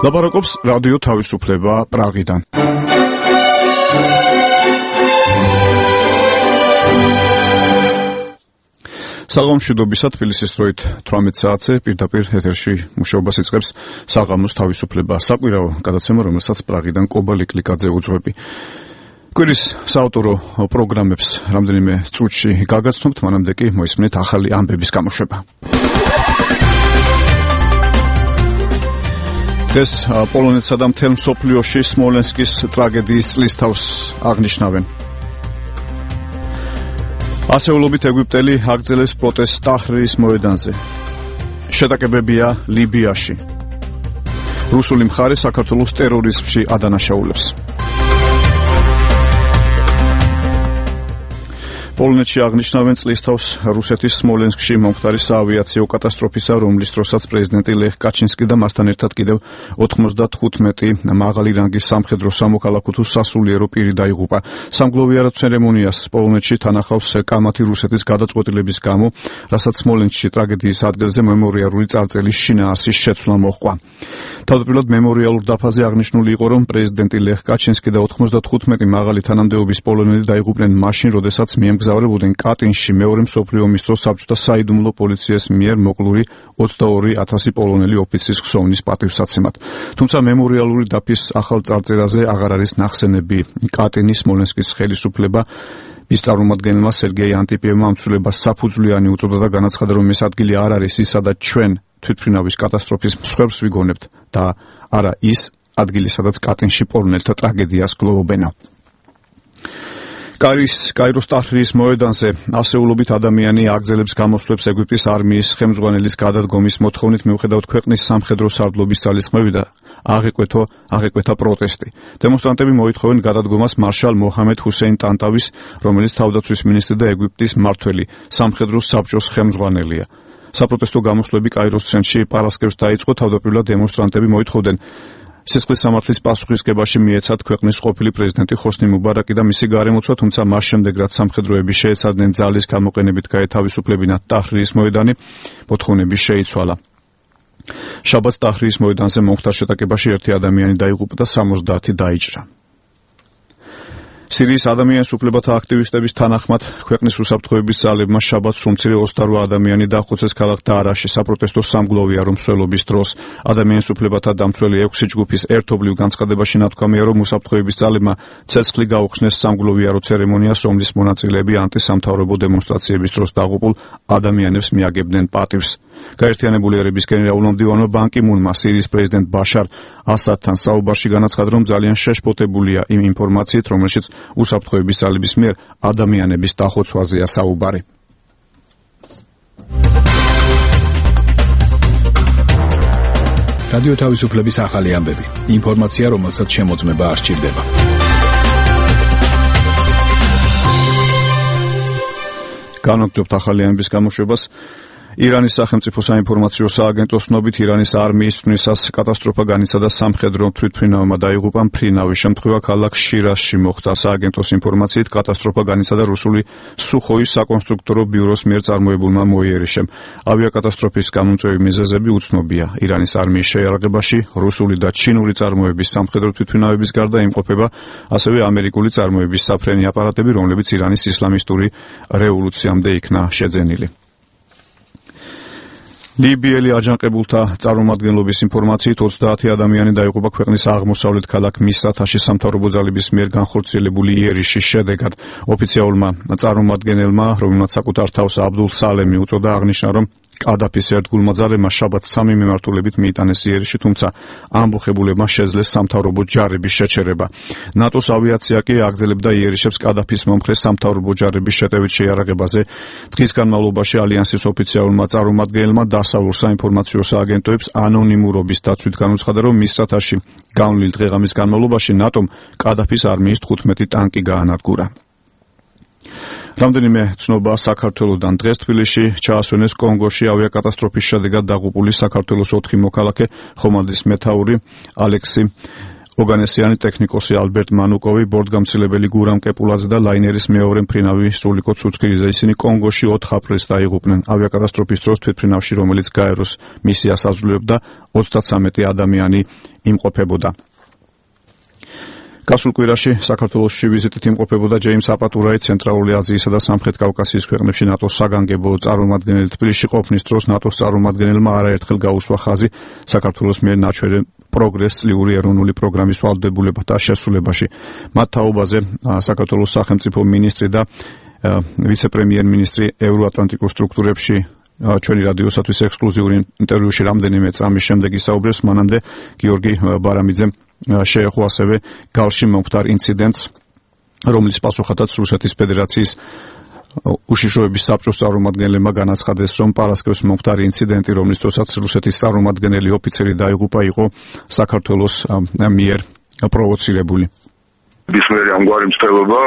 ლაპარაკობს რადიო თავისუფლება პრაღიდან. საღამომშვიდობისა თბილისის დროით 18 საათზე პირდაპირ ეთერში მუშაობას იწყებს საღამოს თავისუფლება საკვირაო გადაცემა, რომელსაც პრაღიდან კობა ლიკლიკაძე უძღვები. კვირის საავტორო პროგრამებს რამდენიმე წუთში გაგაცნობთ, მანამდე კი მოისმენთ ახალი ამბების გამოშვება. დღეს პოლონეთსა და მთელ მსოფლიოში სმოლენსკის ტრაგედიის წლისთავს აღნიშნავენ. ასეულობით ეგვიპტელი აგრძელებს პროტესტს ტაჰრირის მოედანზე. შეტაკებებია ლიბიაში. რუსული მხარე საქართველოს ტერორიზმში ადანაშაულებს. პოლონეთში აღნიშნავენ წლისთავს რუსეთის სმოლენსკში მომხდარი საავიაციო კატასტროფისა, რომლის დროსაც პრეზიდენტი ლეხ კაჩინსკი და მასთან ერთად კიდევ 95 მაღალი რანგის სამხედრო სამოქალაქო თუ სასულიერო პირი დაიღუპა. სამგლოვიარო ცერემონიას პოლონეთში თანახავს კამათი რუსეთის გადაწყვეტილების გამო, რასაც სმოლენსკში ტრაგედიის ადგილზე მემორიალური წარწერის შინაარსის შეცვლა მოჰყვა. თავდაპირველად მემორიალურ დაფაზე აღნიშნული იყო, რომ პრეზიდენტი ლეხ კაჩინსკი და 95 მაღალი თანამდებობის პოლონელი დაიღუპნენ მაშინ, როდესაც მგზავრებოდნენ კატინში მეორე მსოფლიო ომის დროს საბჭოთა საიდუმლო პოლიციის მიერ მოკლული 22,000 პოლონელი ოფიცრის ხსოვნის პატივსაცემად. თუმცა მემორიალური დაფის ახალ წარწერაზე აღარ არის ნახსენები. კატინის სმოლენსკის ხელისუფლება ის წარმომადგენელმა სერგეი ანტიპიევმა ამ ცვლილებას საფუძვლიანი უწოდა და განაცხადა, რომ ეს ადგილი არ არის ის, სადაც ჩვენ თვითმფრინავის კატასტროფის მსხვერპლს ვიგონებთ და არა ის ადგილი, სადაც კატინში პოლონელთა ტრაგედიას გლოვობენ. კაიროს ტაჰრირის მოედანზე ასეულობით ადამიანი აგრძელებს გამოსვლებს ეგვიპტის არმიის ხელმძღვანელის გადადგომის მოთხოვნით, მიუხედავად ქვეყნის სამხედრო სარდლობის ძალისხმევი და აღეკვეთა პროტესტი. დემონსტრანტები მოითხოვენ გადადგომას მარშალ მოჰამედ ჰუსეინ ტანტავის, რომელიც თავდაცვის მინისტრი და ეგვიპტის მმართველი სამხედრო საბჭოს ხელმძღვანელია. საპროტესტო გამოსვლები კაიროს ცენტრში პარასკევს დაიწყო. თავდაპირველად დემონსტრანტები მოითხოვდნენ სისხლის სამართლის პასუხისგებაში მიეცათ ქვეყნის ყოფილი პრეზიდენტი ხოსნი მუბარაკი და მისი გარემოცვა, თუმცა მას შემდეგ, რაც სამხედროები შეეცადნენ ძალის გამოყენებით გაეთავისუფლებინათ ტაჰრირის მოედანი, მოთხოვნები შეიცვალა. შაბათს ტაჰრირის მოედანზე მომხდარ შეტაკებაში 1 ადამიანი დაიღუპა და 70 დაიჭრა. სირიის ადამიანის უფლებათა აქტივისტების თანახმად, ქვეყნის უსაფრთხოების ძალებმა შაბათს უმცირე 28 ადამიანი დაახოცეს ქალაქ დაარაში საპროტესტო სამგლოვიარო მსვლელობის დროს. ადამიანის უფლებათა დამცველი 6 ჯგუფის ერთობლივ განცხადებაში ნათქვამია, რომ უსაფრთხოების ძალებმა ცეცხლი გაუხსნეს სამგლოვიარო ცერემონიას, რომლის მონაწილეები ანტისამთავრობო დემონსტრაციების დროს დაღუპულ ადამიანებს მიაგებდნენ პატივს. გაერთიანებული ერების გენერალურმა მდივანმა ბან კი მუნმა სირიის პრეზიდენტ ბაშარ ასადთან საუბარში განაცხადა, რომ ძალიან შეშფოთებულია იმ ინფორმაციით, რომელშიც უსაფრთხოების ძალების მიერ ადამიანების დახოცვაზეა საუბარი. რადიო თავისუფლების ახალი ამბები. ინფორმაცია, რომელსაც შემოწმება არ სჭირდება. განაგრძობთ ახალი ამბების გამოშვებას. ირანის სახელმწიფო საინფორმაციო სააგენტოს ცნობით, ირანის არმიის ცვლისას კატასტროფა განიცადა სამხედრო თვითმფრინავმა დაიღუპა მფრინავის შემთხვევა ქალაქ შირაზში მოხდა. სააგენტოს ინფორმაციით, კატასტროფა განიცადა რუსული სუხოის საკონსტრუქტორო ბიუროს მიერ წარმოებულმა მოიერიშემ. ავიაკატასტროფის გამომწვევი მიზეზები უცნობია. ირანის არმიის შეიარაღებაში რუსული და ჩინური წარმოების სამხედრო თვითმფრინავების გარდა იმყოფება ასევე ამერიკული წარმოების საფრენი აპარატები, რომლებიც ირანის ისლამისტური რევოლუციამდე იქნა შეძენილი. ლიბიელი აჯანყებულთა წარმომადგენლობის ინფორმაციით 30 ადამიანი დაიღუპა ქვეყნის აღმოსავლეთ ქალაქ მისრათაში სამთავრობო ძალების მიერ განხორციელებული იერიშის შედეგად. ოფიციალურმა წარმომადგენელმა, რომელმაც საკუთარ თავს აბდულ სალემი უწოდა, აღნიშნა, რომ კადაფის ერთგულმა ძალებმა შაბათს 3 მიმართულებით მიიტანეს იერიში, თუმცა ამბოხებულებმა შეძლეს სამთავრობო ჯარების შეჩერება. ნატოს ავიაცია კი აგრძელებდა იერიშებს კადაფის მომხრე სამთავრობო ჯარების შეტევით შეიარაღებაზე. დღის განმავლობაში ალიანსის ოფიციალურმა წარმომადგენელმა დასავლურ საინფორმაციო სააგენტოებს ანონიმურობის დაცვით განუცხადა, რომ მისრათაში განვლილ დღეღამის განმავლობაში ნატომ კადაფის არმიის 15 ტანკი გაანადგურა. რამდენიმე ცნობა საქართველოდან. დღეს თბილისში ჩაასვენეს კონგოში ავიაკატასტროფის შედეგად დაღუპული საქართველოს 4 მოქალაქე, ხომალდის მეთაური ალექსი ოგანესიანი ტექნიკოსი ალბერტ მანუკოვი, ბორტგამცილებელი გურამ კეპულაძე და ლაინერის მეორე მფრინავი სრულიკო ცუცქირიძე. ისინი კონგოში 4 აპრილს დაიღუპნენ. ავიაკატასტროფის დროს თვითმფრინავში, რომელიც გაეროს მისიას აძლევდა, 33 ადამიანი იმყოფებოდა. გასულ კვირაში საქართველოში ვიზიტით იმყოფებოდა ჯეიმს აპატურაი, ცენტრალური აზიისა და სამხრეთ კავკასიის ქვეყნებში ნატოს საგანგებო წარმომადგენელი. თბილისში ყოფნის დროს ნატოს წარმომადგენელმა არაერთხელ გაუსვა ხაზი საქართველოს მიერ ნაჩვენე პროგრეს წლიური ეროვნული პროგრამის ვალდებულებათა შესრულებაში. მათ თაობაზე საქართველოს სახელმწიფო მინისტრი და ვიცე-პრემიერ-მინისტრი ევროატლანტიკურ სტრუქტურებში ჩვენი რადიოსათვის ექსკლუზიური ინტერვიუში რამდენიმე წამის შემდეგ ისაუბრებს. მანამდე გიორგი ბარამიძემ შეეხო ასევე გალში მომხდარ ინციდენტს, რომლის პასუხადაც რუსეთის ფედერაციის უშიშროების საბჭოს წარმომადგენლებმა განაცხადეს, რომ პარასკევს მომხდარი ინციდენტი, რომლის დროსაც რუსეთის წარმომადგენელი ოფიცერი დაიღუპა, იყო საქართველოს მიერ პროვოცირებული. ბისმერი ამგვარი მცდელობა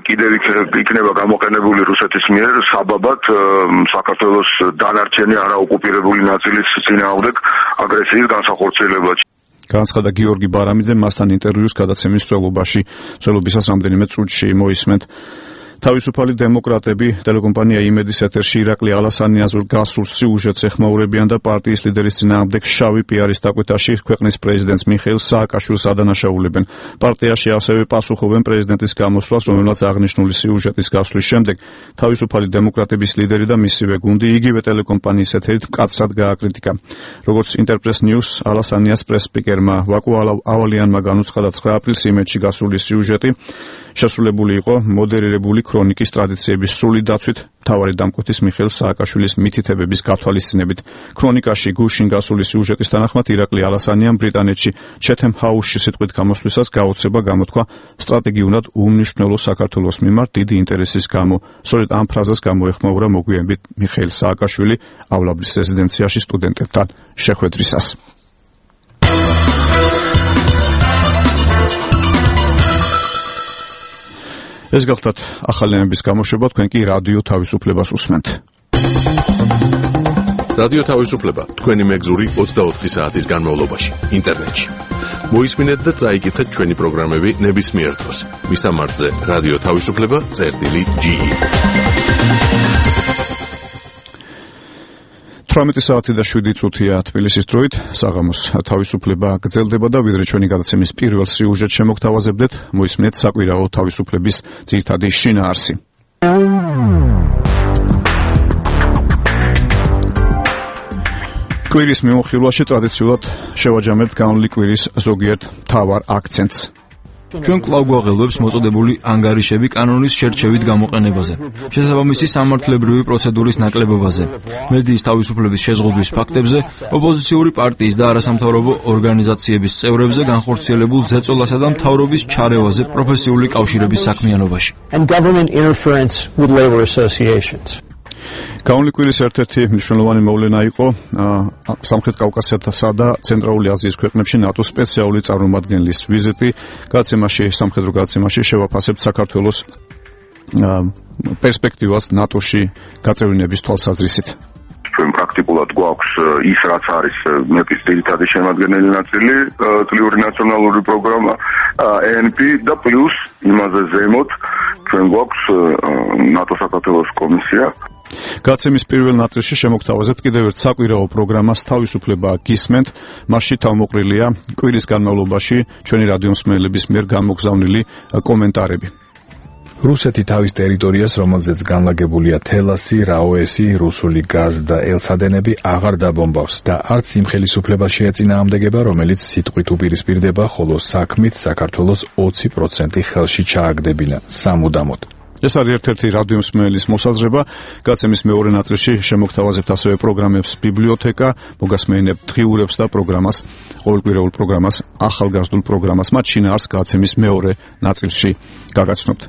კიდევ იქნება გამოყენებული რუსეთის მიერ საბაბად საქართველოს დანარჩენი არაოკუპირებული ნაწილის წინააღმდეგ აგრესიის განსახორციელებაში. განაცხადა გიორგი ბარამიძე მასთან ინტერვიუს გადაცემის მსვლელობისას რამდენიმე წუთში მოისმენთ. თავისუფალი დემოკრატები ტელეკომპანია იმედის ეთერში ირაკლი ალასანიაზურ გასულ სიუჟეტს ეხმაურებიან და პარტიის ლიდერის წინააღმდეგ შავი პიარის დაკვეთაში ქვეყნის პრეზიდენტს მიხეილ სააკაშვილს ადანაშაულებენ. პარტიაში ასევე პასუხობენ პრეზიდენტის გამოსვლას, რომელმაც აღნიშნული სიუჟეტის გასვლის შემდეგ თავისუფალი დემოკრატების ლიდერი და მისივე გუნდი იგივე ტელეკომპანიის ეთერით მკაცრად გააკრიტიკა. როგორც ინტერპრეს ნიუს ალასანიას პრეს-სპიკერმა ვაკუ ავალიანმა განუცხადა 9 აპრილს იმედში გასული სიუჟეტი შესრულებული იყო მოდერირებული ქრონიკის ტრადიციების სრული დაცვით მთავარი დამკვეთის მიხეილ სააკაშვილის მითითებების გათვალისწინებით. ქრონიკაში გუშინ გასული სიუჟეტის თანახმად ირაკლი ალასანიამ ბრიტანეთში ჩეთემ ჰაუსში სიტყვით გამოსვლისას გაოცება გამოთქვა სტრატეგიულად უმნიშვნელო საქართველოს მიმართ დიდი ინტერესის გამო. სწორედ ამ ფრაზას გამოეხმაურა მოგვიანებით მიხეილ სააკაშვილიავლაბრის რეზიდენციაში სტუდენტებთან შეხვედრისას. ეს გახლდათ ახალი ამბების გამოშვება, თქვენ კი რადიო თავისუფლებას უსმენთ. რადიო თავისუფლება თქვენი მეგზური 24 საათის განმავლობაში ინტერნეტში. მოისმინეთ და წაიკითხეთ ჩვენი პროგრამები ნებისმიერ დროს. მისამართზე რადიო თავისუფლება.ge 18 საათი და 7 წუთია თბილისის დროით. საღამოს თავისუფლება გრძელდება და ვიდრე ჩვენი გადაცემის პირველ სიუჟეტს შემოგთავაზებდეთ, მოისმინეთ საკვირაო თავისუფლების ძირითადი შინაარსი. კვირის მიმოხილვაში ტრადიციულად შევაჯამებთ განვლილი კვირის ზოგიერთ მთავარ აქცენტს. ჩვენ კვლავ გვაღელვებს მოწოდებული ანგარიშები კანონის შერჩევით გამოყენებაზე, შესაბამისი სამართლებრივი პროცედურის ნაკლებობაზე, მედიის თავისუფლების შეზღუდვის ფაქტებზე, ოპოზიციური პარტიის და არასამთავრობო ორგანიზაციების წევრებზე განხორციელებულ ზეწოლასა და მთავრობის ჩარევაზე პროფესიული კავშირების საქმიანობაში. განვლილი კვირის ერთ-ერთი მნიშვნელოვანი მოვლენა იყო სამხრეთ კავკასიასა და ცენტრალური აზიის ქვეყნებში ნატოს სპეციალური წარმომადგენლის ვიზიტი. სამხედრო გადაცემაში შევაფასებთ საქართველოს პერსპექტივას ნატოში გაწევრიანების თვალსაზრისით. ჩვენ პრაქტიკულად გვაქვს ის, რაც არის მეპის ძირითადი შემადგენელი ნაწილი, წლიური ნაციონალური პროგრამა ENP და პლუს იმაზე ზემოთ ჩვენ გვაქვს ნატო საქართველოს კომისია. გაცემის პირველ ნაწილში შემოგთავაზებთ კიდევ ერთ საკვირაო პროგრამას თავისუფლება გისმენთ. მასში თავმოყრილია კვირის განმავლობაში ჩვენი რადიომსმენელების მიერ გამოგზავნილი კომენტარები. რუსეთი თავის ტერიტორიას, რომელზეც განლაგებულია თელასი, რაოესი, რუსული გაზ და ელსადენები აღარ დაბომბავს და არც იმ ხელისუფლებას შეეწინააღმდეგება, რომელიც სიტყვით უპირისპირდება, ხოლო საქმით საქართველოს 20% ხელში ჩააგდებინა სამუდამოდ. ეს არის ერთ-ერთი რადიომსმენელის მოსაზრება. გაცემის მეორე ნაწილში შემოგთავაზებთ ასევე პროგრამებს ბიბლიოთეკა, მოგასმენებთ დღიურებს და პროგრამას, ყოველკვირეულ პროგრამას, ახალგაზრდულ პროგრამას. მათ შინაარსს გაცემის მეორე ნაწილში გაგაცნობთ.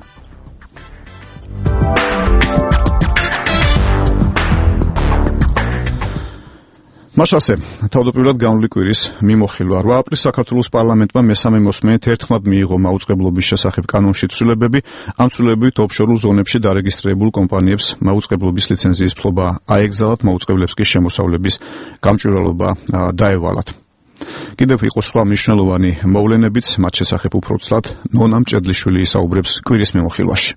მაშასე, თავდაპირველად განვლილი კვირის მიმოხილვა. 8 აპრილს საქართველოს პარლამენტმა მესამე მოსმენით ერთხმად მიიღო მაუწყებლობის შესახებ კანონში ცვლილებები. ამ ცვლილებებით ოფშორულ ზონებში დარეგისტრირებულ კომპანიებს მაუწყებლობის ლიცენზიის ფლობა აეგზავნათ, მაუწყებლებს კი შემოსავლების გამჭვირვალობა დაევალათ. კიდევ იყო სხვა მნიშვნელოვანი მოვლენებიც, მათ შესახებ უფრო ცლად ნონა მჭედლიშვილი ისაუბრებს კვირის მიმოხილვაში.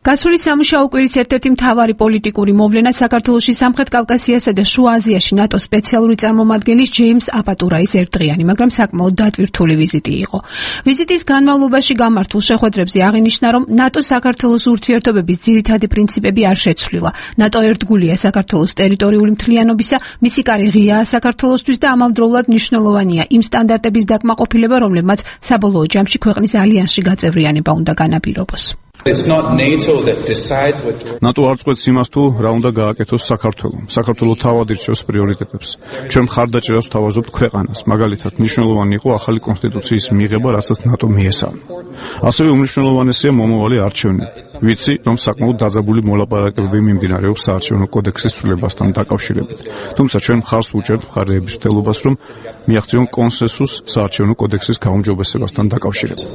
გასული სამუშაო კვირის ერთ-ერთი მთავარი პოლიტიკური მოვლენა საქართველოში სამხრეთ კავკასიასა და შუა აზიაში ნატოს სპეციალური წარმომადგენლის ჯეიმს აპატურაის ერთდღიანი, მაგრამ საკმაოდ დატვირთული ვიზიტი იყო. ვიზიტის განმავლობაში გამართულ შეხვედრებზე აღინიშნა, რომ ნატო საქართველოს ურთიერთობების ძირითადი პრინციპები არ შეცვლილა. ნატო ერთგულია საქართველოს ტერიტორიული მთლიანობისა, მისი კარი ღიაა საქართველოსთვის და ამავდროულად მნიშვნელოვანია იმ სტანდარტების დაკმაყოფილება, რომლებმაც საბოლოო ჯამში ქვეყნის ალიანსში გაწევრიანება უნდა განაპირობოს. ნატო არ წყვეტს იმას თუ რა უნდა გააკეთოს საქართველომ. საქართველო თავად ირჩევს პრიორიტეტებს. ჩვენ მხარდაჭერას ვთავაზობთ ქვეყანას. მაგალითად, მნიშვნელოვანი იყო ახალი კონსტიტუციის მიღება, რასაც ნატო მიესალმა. ასევე უმნიშვნელოვანესია მომავალი არჩევნები. ვიცი, რომ საკმაოდ დაძაბული მოლაპარაკებები მიმდინარეობს საარჩევნო კოდექსის ცვლილებასთან დაკავშირებით. თუმცა ჩვენ მხარს უჭერთ მხარეების მცდელობას, რომ მიაღწიონ კონსენსუსს საარჩევნო კოდექსის გაუმჯობესებასთან დაკავშირებით.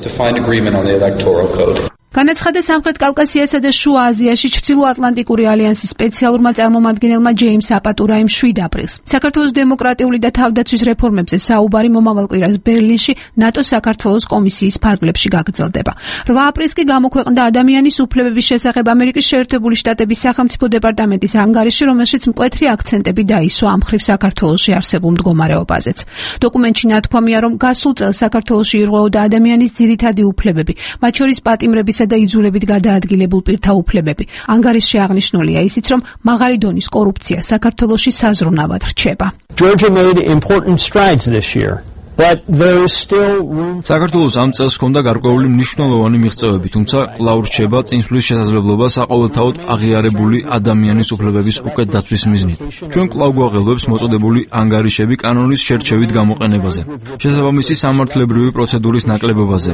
განაცხადა სამხრეთ კავკასიასა და შუა აზიაში ჩრდილოატლანტიკური ალიანსის სპეციალურმა წარმომადგენელმა ჯეიმს აპატურაიმ 7 აპრილს. საქართველოს დემოკრატიული და თავდაცვის რეფორმებზე საუბარი მომავალ კვირას ბერლინში ნატოს საქართველოს კომისიის ფარგლებში გაგრძელდება. 8 აპრილს კი გამოქვეყნდა ადამიანის უფლებების შესახებ ამერიკის შეერთებული შტატების სახელმწიფო დეპარტამენტის ანგარიში, რომელშიც მკვეთრი აქცენტები დაისვა ამ მხრივ საქართველოში არსებულ მდგომარეობაზეც. დოკუმენტში ნათქვამია, რომ გასულ წელს საქართველოში ირღვეოდა ადამიანის ძირითადი უფლებები, მათ შორის პატიმრების და იძულებით გადაადგილებულ პირთა უფლებები. ანგარიშში აღნიშნულია ისიც, რომ მაღალი დონის კორუფცია საქართველოში საზრუნავად რჩება. Georgia made important strides this year. But there is still room. საქართველოს ამ წელს ჰქონდა გარკვეული მნიშვნელოვანი მიღწევები, თუმცა კვლავ რჩება წინსვლის შესაძლებლობა საყოველთაოდ აღიარებული ადამიანის უფლებების უკეთ დაცვის მიზნით. ჩვენ კვლავ გვაღელვებს მოწოდებული ანგარიშები კანონის შერჩევით გამოყენებაზე, შესაბამისი სამართლებრივი პროცედურის ნაკლებობაზე,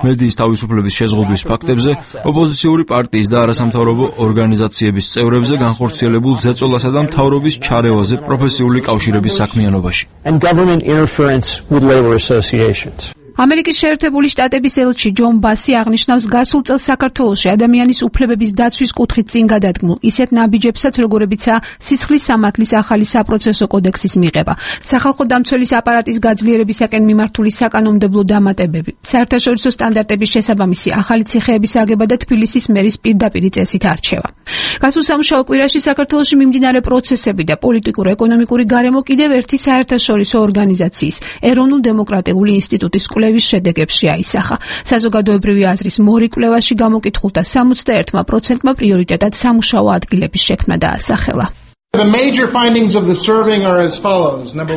მედიის თავისუფლების შეზღუდვის ფაქტებზე, ოპოზიციური პარტიის და არასამთავრობო ორგანიზაციების წევრებზე განხორციელებულ ზეწოლასა და მთავრობის ჩარევაზე პროფესიული კავშირების საქმიანობაში. And government interference with labor associations. ამერიკის შეერთებული შტატების ელჩი ჯონ ბასი აღნიშნავს გასულ წელს საქართველოში ადამიანის უფლებების დაცვის კუთხით წინ გადადგმულ ისეთ ნაბიჯებსაც, როგორებიცაა სისხლის სამართლის ახალი საპროცესო კოდექსის მიღება, სახალხო დამცველის აპარატის გაძლიერებისაკენ მიმართული საკანონმდებლო დამატებები, საერთაშორისო სტანდარტების შესაბამისი ახალი ციხეების აგება და თბილისის მერის პირდაპირი წესით არჩევა. გასულ სამუშაო კვირაში საქართველოში მიმდინარე პროცესები და პოლიტიკურ-ეკონომიკური გარემო კიდევ ერთი საერთაშორისო ორგანიზაციის ეროვნულ დემოკრატიული ინსტიტუტის კვლევის შედეგებში აისახა. საზოგადოებრივი აზრის მორიკვლევაში გამოკითხულთა 61%-მა პრიორიტეტად სამუშაო ადგილების შექმნა დაასახელა.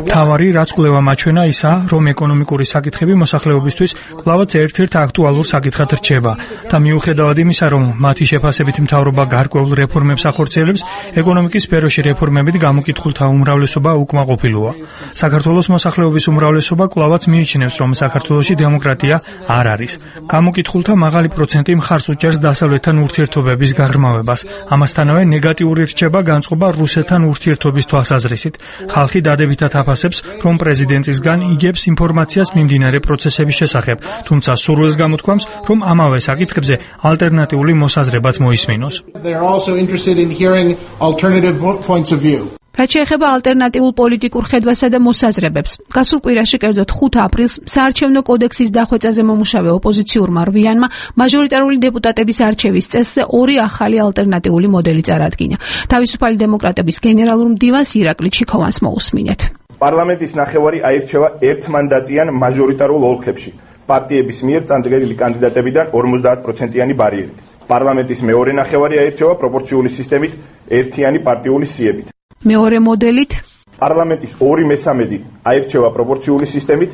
თავარი რაც კვლევა მაჩვენა ისაა, რომ ეკონომიკური საკითხები მოსახლეობისთვის კვლავაც ერთ-ერთ აქტუალურ საკითხად რჩება და მიუხედავად იმისა, რომ მათი შეფასებით მთავრობა გარკვეულ რეფორმებს ახორციელებს, ეკონომიკის სფეროში რეფორმებით გამოკითხულთა უმრავლესობა უკმაყოფილოა. საქართველოს მოსახლეობის უმრავლესობა კვლავაც მიიჩნევს, რომ საქართველოში დემოკრატია არ არის. გამოკითხულთა მაღალი პროცენტი მხარს უჭერს დასავლეთთან ურთიერთობების გაღრმავებას. ამასთანავე ნეგატიური რჩება განწყობა რუსეთთან ურთიერთობის თვალსაზრისით. ხალხი დადებითად აფასებს, რომ პრეზიდენტისგან იგებს ინფორმაციას მიმდინარე პროცესების შესახებ, თუმცა სურვილს გამოთქვამს, რომ ამავე საკითხებზე ალტერნატიული მოსაზრებაც მოისმინოს. რაც შეეხება ალტერნატიულ პოლიტიკურ ხედვასა და მოსაზრებებს, გასულ კვირაში, კერძოდ 5 აპრილს, საარჩევნო კოდექსის დახვეწაზე მომუშავე ოპოზიციურმა რვიანმა მაჟორიტარული დეპუტატების არჩევის წესზე 2 ახალი ალტერნატიული მოდელი წარადგინა. თავისუფალი დემოკრატების გენერალურ მდივანს ირაკლი ჩიქოვანს მოусმინეთ. პარლამენტის ნახევარი აირჩევა ერთმანდატიან მაჟორიტარულ ოლქებში. პარტიების მიერ წარდგენილი კანდიდატებიდან 50%-იანი ბარიერით. პარლამენტის მეორე ნახევარი აირჩევა პროპორციული სისტემით ერთიანი პარტიული სიებით. მეორე მოდელით პარლამენტის 2/3 აირჩევა პროპორციული სისტემით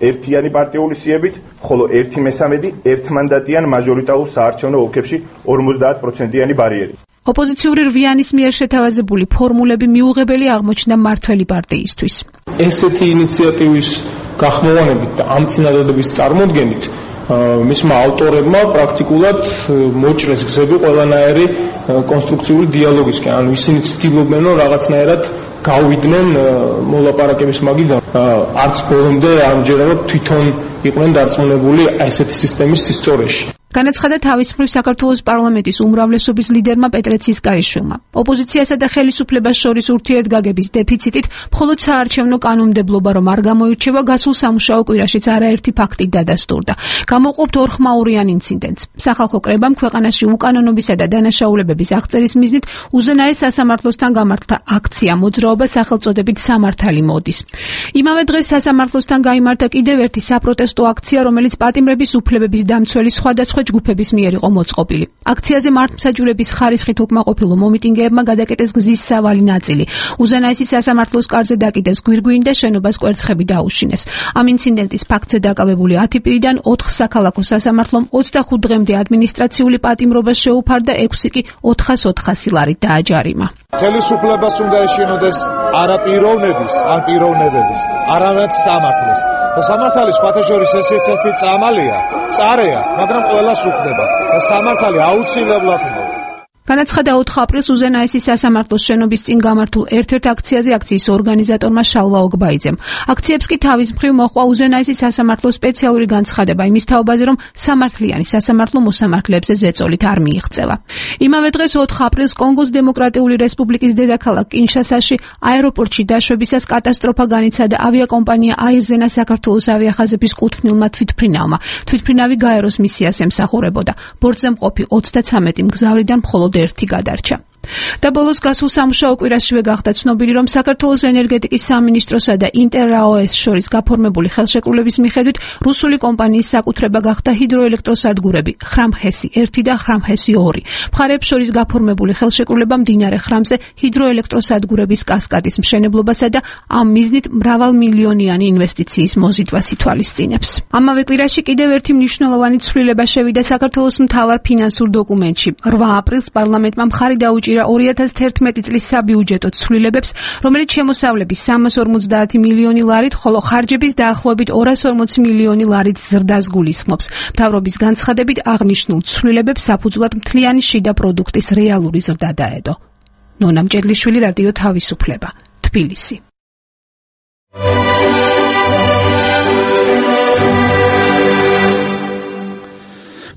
ერთიანი პარტიული სიებით, ხოლო 1/3 ერთმანდატიან მაჟორიტარულ საარჩევნო ოლქებში 50%-იანი ბარიერით. ოპოზიციური რვიანის მიერ შეთავაზებული ფორმულები მიუღებელი აღმოჩნდა მმართველი პარტიისთვის. ესეთი ინიციატივის გახმოვანებით და ამ წინადადების წარმოდგენით მისმა ავტორებმა პრაქტიკულად მოჭრეს გზები ყველანაირი კონსტრუქციული დიალოგისკენ. ანუ ისინი ცდილობენ, რომ რაღაცნაირად გავიდნენ მოლაპარაკების მაგიდან. არც ბოლომდე ამჯერადად თვითონ იყვნენ დარწმუნებული ესეთი სისტემის სისწორეში. განაცხადა თავის მხრივ საქართველოს პარლამენტის უმრავლესობის ლიდერმა პეტრე ცისკარიშვილმა. ოპოზიციასა და ხელისუფლებას შორის ურთიერთგაგების დეფიციტით მხოლოდ საარჩევნო კანონმდებლობა რომ არ გამოირჩევა, გასულ სამუშაო კვირაშიც არაერთი ფაქტი დადასტურდა. გამოყოფთ ორხმაურიან ინციდენტს. სახალხო კრებამ ქვეყანაში უკანონობისა და დანაშაულებების აღწერის მიზნით უზენაეს სასამართლოსთან გამართთა აქცია მოძრაობა სახელწოდებით სამართალი მოდის. იმავე დღეს სასამართლოსთან გაიმართა კიდევ ერთი საპროტესტო აქცია, რომელიც პატიმრების უფლებების დამცველი სხვადასხვა ჯგუფების მიერ იყო მოწყობილი. აქციაზე მართლმსაჯულების ხარისხით უკმაყოფილო მომიტინგეებმა გადაკეტეს გზის სავალი ნაწილი. უზენაესი სასამართლოს კარზე დაკიდეს გვირგვინი და შენობას კვერცხები დაუშინეს. ამ ინციდენტის ფაქტზე დაკავებული 10 პირიდან 4 საქალაქო სასამართლომ 25 დღემდე ადმინისტრაციული პატიმრობა შეუფარდა, 6 კი 400 ლარით დააჯარიმა. ხელისუფლებას უნდა ეშინოდეს არა პიროვნების, ან პიროვნებების, არამედ სამართლის. და სამართალი სხვათა შორის ეს წამალია, წარეა, მაგრამ ყველას უხდება და სამართალი აუცილებლად უნდა. განაცხადა 4 აპრილს უზენაესის სასამართლოს შენობის წინ გამართულ ერთ-ერთ აქციაზე აქციის ორგანიზატორმა შალვა ოგბაიძემ. აქციებს კი თავის მხრივ მოჰყვა უზენაესის სასამართლოს სპეციალური განცხადება იმის თაობაზე, რომ სამართლიანი სასამართლო მოსამართლეებზე ზეწოლით არ მიიღწევა. იმავე დღეს 4 აპრილს კონგოს დემოკრატიული რესპუბლიკის დედაქალაქ კინშასაში აეროპორტში დაშვებისას კატასტროფა განიცადა ავიაკომპანია აირზენა საქართველოს ავიახაზების კუთვნილმა თვითმფრინავმა. თვითმფრინავი გაეროს მისიას ემსახურებოდა. ბორტზე მყოფი 33 მგზავრიდან მხოლოდ ერთი გადარჩა. და ბოლოს გასულ სამუშაო კვირაშივე გახდა ცნობილი, რომ საქართველოს ენერგეტიკის სამინისტროსა და ინტერრაოეს შორის გაფორმებული ხელშეკრულების მიხედვით რუსული კომპანიის საკუთრება გახდა ჰიდროელექტროსადგურები ხრამჰესი 1 და ხრამჰესი 2. მხარეებს შორის გაფორმებული ხელშეკრულება მდინარე ხრამზე ჰიდროელექტროსადგურების კასკადის მშენებლობასა და ამ მიზნით მრავალმილიონიანი ინვესტიციის მოზიდვას ითვალისწინებს. ამავე კვირაში კიდევ ერთი მნიშვნელოვანი ცვლილება შევიდა საქართველოს მთავარ ფინანსურ დოკუმენტში. 8 აპრილს პარლამენტმა მხარი დაუჭირა 2011 წლის საბიუჯეტო ცვლილებებს, რომელიც შემოსავლების 350 მილიონი ლარით, ხოლო ხარჯების დაახლოებით 240 მილიონი ლარით ზრდას გულისხმობს. მთავრობის განცხადებით აღნიშნულ ცვლილებებს საფუძვლად მთლიანი შიდა პროდუქტის რეალური ზრდა დაედო. ნონა მჭედლიშვილი, რადიო თავისუფლება, თბილისი.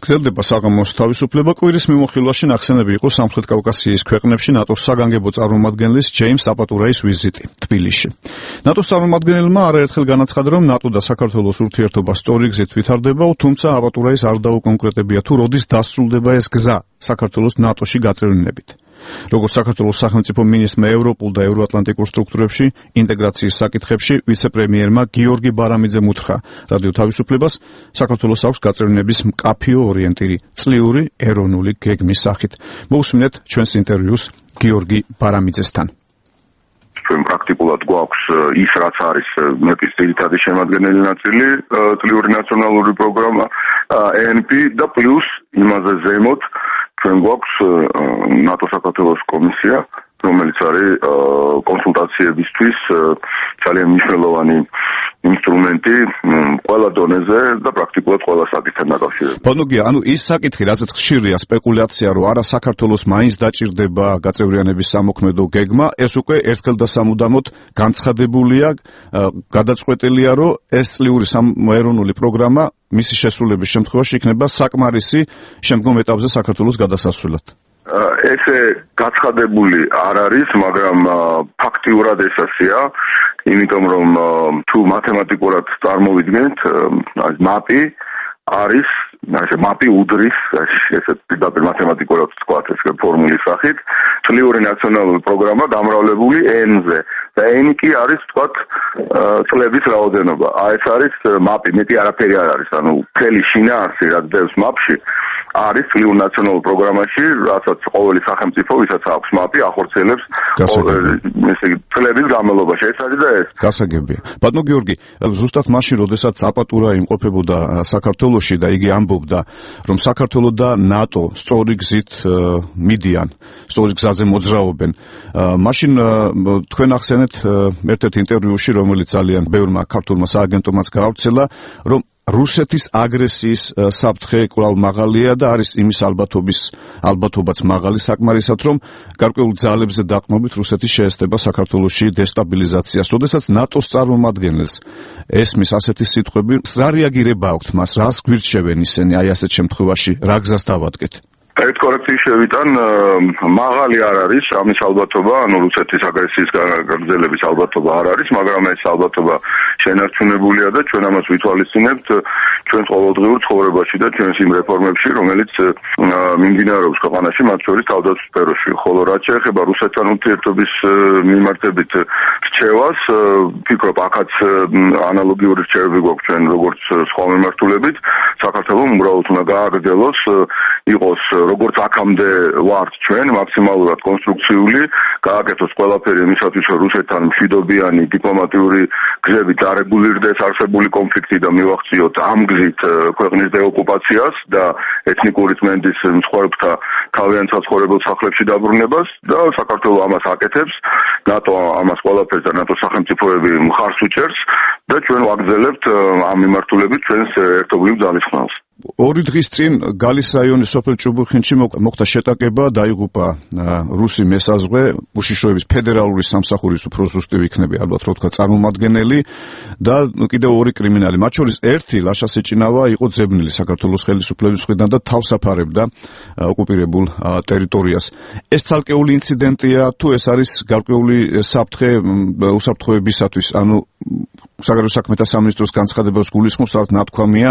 გრძელდება საღამოს თავისუფლება. კვირის მიმოხილვაში ნახსენები იყო სამხრეთ კავკასიის ქვეყნებში ნატოს საგანგებო წარმომადგენლის ჯეიმს საპატურაის ვიზიტი თბილისში. ნატოს წარმომადგენელმა არაერთხელ განაცხადა, რომ ნატო და საქართველოს ურთიერთობა სწორი გზით ვითარდება, თუმცა აპატურაის არ დაუკონკრეტებია თუ როდის დასრულდება ეს გზა საქართველოს ნატოში გაწევრიანებით. როგორც საქართველოს სახელმწიფო მინისტრმა ევროპულ და ევროატლანტიკურ სტრუქტურებში ინტეგრაციის საკითხებში ვიცე-პრემიერმა გიორგი ბარამიძემ უთხრა რადიო თავისუფლებას, საქართველოს აქვს გაწევრიანების მკაფიო ორიენტირი წლიური ეროვნული გეგმის სახით. მოусმინეთ ჩვენს ინტერვიუს გიორგი ბარამიძესთან. ჩვენ პრაქტიკულად გვაქვს ის, რაც არის მეპის ძირითადი შემადგენელი ნაწილი, წლიური ნაციონალური პროგრამა ENP და პლუს იმაზე ზემოთ ჩვენ გვაქვს ნატო საქართველოს კომისია, რომელიც არის კონსულტაციებისთვის ძალიან მნიშვნელოვანი ინსტრუმენტი ყველა დონეზე და პრაქტიკულად ყველა საკითხთან დაკავშირებით. ბანოგია, ანუ ის საკითხი, რასაც ხშირია სპეკულაცია, რომ არა საქართველოს მაინც დაჭირდება გაწევრიანების სამოქმედო გეგმა, ეს უკვე ერთხელ და სამუდამოდ განცხადებულია, გადაწყვეტილია, რომ ეს წლიური ეროვნული პროგრამა მისი შესრულების შემთხვევაში იქნება საკმარისი შემდგომ ეტაპზე საქართველოს გადასასვლელად. ესე გაცხადებული არ არის, მაგრამ ფაქტიურად ესაცია, იმიტომ რომ თუ მათემატიკურად წარმოვიდგენთ, მაპი არის, ასე მაპი უდრის, ესე პირდაპირ მათემატიკურად ვთქვათ, ეს ფორმულის სახით, წლიური ნაციონალური პროგრამა გამრავლებული N-ზე და N კი არის, ვთქვათ, წლების რაოდენობა. ეს არის მაპი, მეტი არაფერი არ არის, ანუ მთელი შინაარსი, რაც დევს მაპში, არის წლიურ ნაციონალურ პროგრამაში, რასაც ყოველი სახელმწიფო, ვისაც აქვს მაპი, ახორციელებს წლების განმავლობაში. ეს არის და ეს. გასაგებია. ბატონო გიორგი, ზუსტად მაშინ, როდესაც აპატურა იმყოფებოდა საქართველოში და იგი ამბობდა, რომ საქართველო და ნატო სწორი გზით მიდიან, სწორი გზაზე მოძრაობენ. მაშინ თქვენ ახსენეთ ერთ-ერთ ინტერვიუში, რომელიც ძალიან ბევრმა ქართულმა სააგენტომაც გაავრცელა, რომ რუსეთის აგრესიის საფრთხე კვლავ მაღალია და არის იმის ალბათობაც მაღალი საკმარისად, რომ გარკვეულ ძალებზე დაყრდნობით რუსეთის შეესწება საქართველოში დესტაბილიზაციას. როდესაც ნატოს წარმომადგენელს ესმის ასეთი სიტყვები, რა რეაგირება აქვთ მას, რას გვირჩევენ ისინი აი ასეთ შემთხვევაში, რა გზას დავადგეთ? ერთ კორექციის შევიტან, მაღალი არ არის ამის ალბათობა, ანუ რუსეთის აგრესიის გაგრძელების ალბათობა არ არის, მაგრამ ეს ალბათობა შენარჩუნებულია და ჩვენ ამას ვითვალისწინებთ ჩვენს ყოველდღიურ ცხოვრებაში და ჩვენს იმ რეფორმებში, რომელიც მიმდინარეობს ქვეყანაში, მათ შორის თავდაცვის სფეროში. ხოლო რაც შეეხება რუსეთთან ურთიერთობის მიმართებით რჩევას, ვფიქრობ, აქაც ანალოგიური რჩევები გვაქვს ჩვენ როგორც სხვა მიმართულებით. საქართველოს უბრალოდ უნდა გააგრძელოს, იყოს როგორც აქამდე ვართ ჩვენ მაქსიმალურად კონსტრუქციული, გააკეთოს ყველაფერი იმისათვის, რომ რუსეთთან მშვიდობიანი დიპლომატიური გზებით არეგულირდეს არსებული კონფლიქტი და მივახციოთ ამ გზით ქვეყნის დეოკუპაციას და ეთნიკური წმენდის მსხვერპლთა თავიანთ საცხოვრებელ სახლებში დაბრუნებას და საქართველოს ამას აკეთებს, ნატო ამას ყველაფერს და ნატოს სახელმწიფოები მხარს უჭერს და ჩვენ ვაგრძელებთ ამ მიმართულებით ჩვენს ერთობლივ ძალისხმევას. 2 დღის წინ გალის რაიონის სოფელ ჭუბუხინში მოხდა შეტაკება, დაიღუპა რუსი მესაზღვრე, უშიშროების ფედერალური სამსახურის უფრო ზუსტი იქნება ალბათ რო თქვა წარმომადგენელი და კიდევ 2 კრიმინალი, მათ შორის ერთი ლაშა სეჭინავა იყო ძებნილი საქართველოს ხელისუფლების მხრიდან და თავს აფარებდა ოკუპირებულ ტერიტორიას. ეს ცალკეული ინციდენტია თუ ეს არის გარკვეული საფრთხე უსაფრთხოებისათვის, ანუ საგარეო საქმეთა სამინისტროს განცხადებას გულისხმობს, რაც ნათქვამია,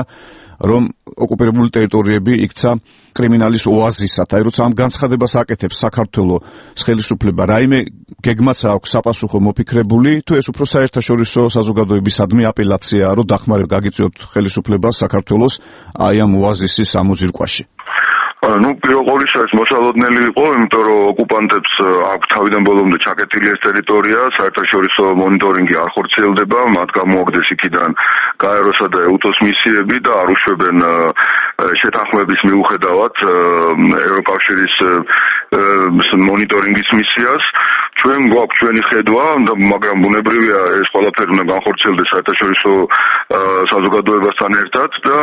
რომ ოკუპირებული ტერიტორიები იქცა კრიმინალის ოაზისად. აი როცა ამ განცხადებას აკეთებს საქართველოს ხელისუფლება, რაიმე გეგმაც აქვს საპასუხო მოფიქრებული, თუ ეს უფრო საერთაშორისო საზოგადოებისადმი აპელაციაა, რომ დახმარება გაგიწიოთ ხელისუფლებას საქართველოს აი ამ ოაზისის ამოძირკვაში. პირველ ყოვლისა ეს მოსალოდნელი იყო, იმიტომ რომ ოკუპანტებს აქვს თავიდან ბოლომდე ჩაკეტილი ეს ტერიტორია, საერთაშორისო მონიტორინგი არ ხორციელდება, მათ გამოაგდეს იქიდან გაეროსა და ეუტოს მისიები და არ უშვებენ შეთანხმების მიუხედავად ევროკავშირის მონიტორინგის მისიას. ჩვენ გვაქვს ჩვენი ხედვა, მაგრამ ბუნებრივია ეს ყველაფერი უნდა განხორციელდეს საერთაშორისო საზოგადოებასთან ერთად და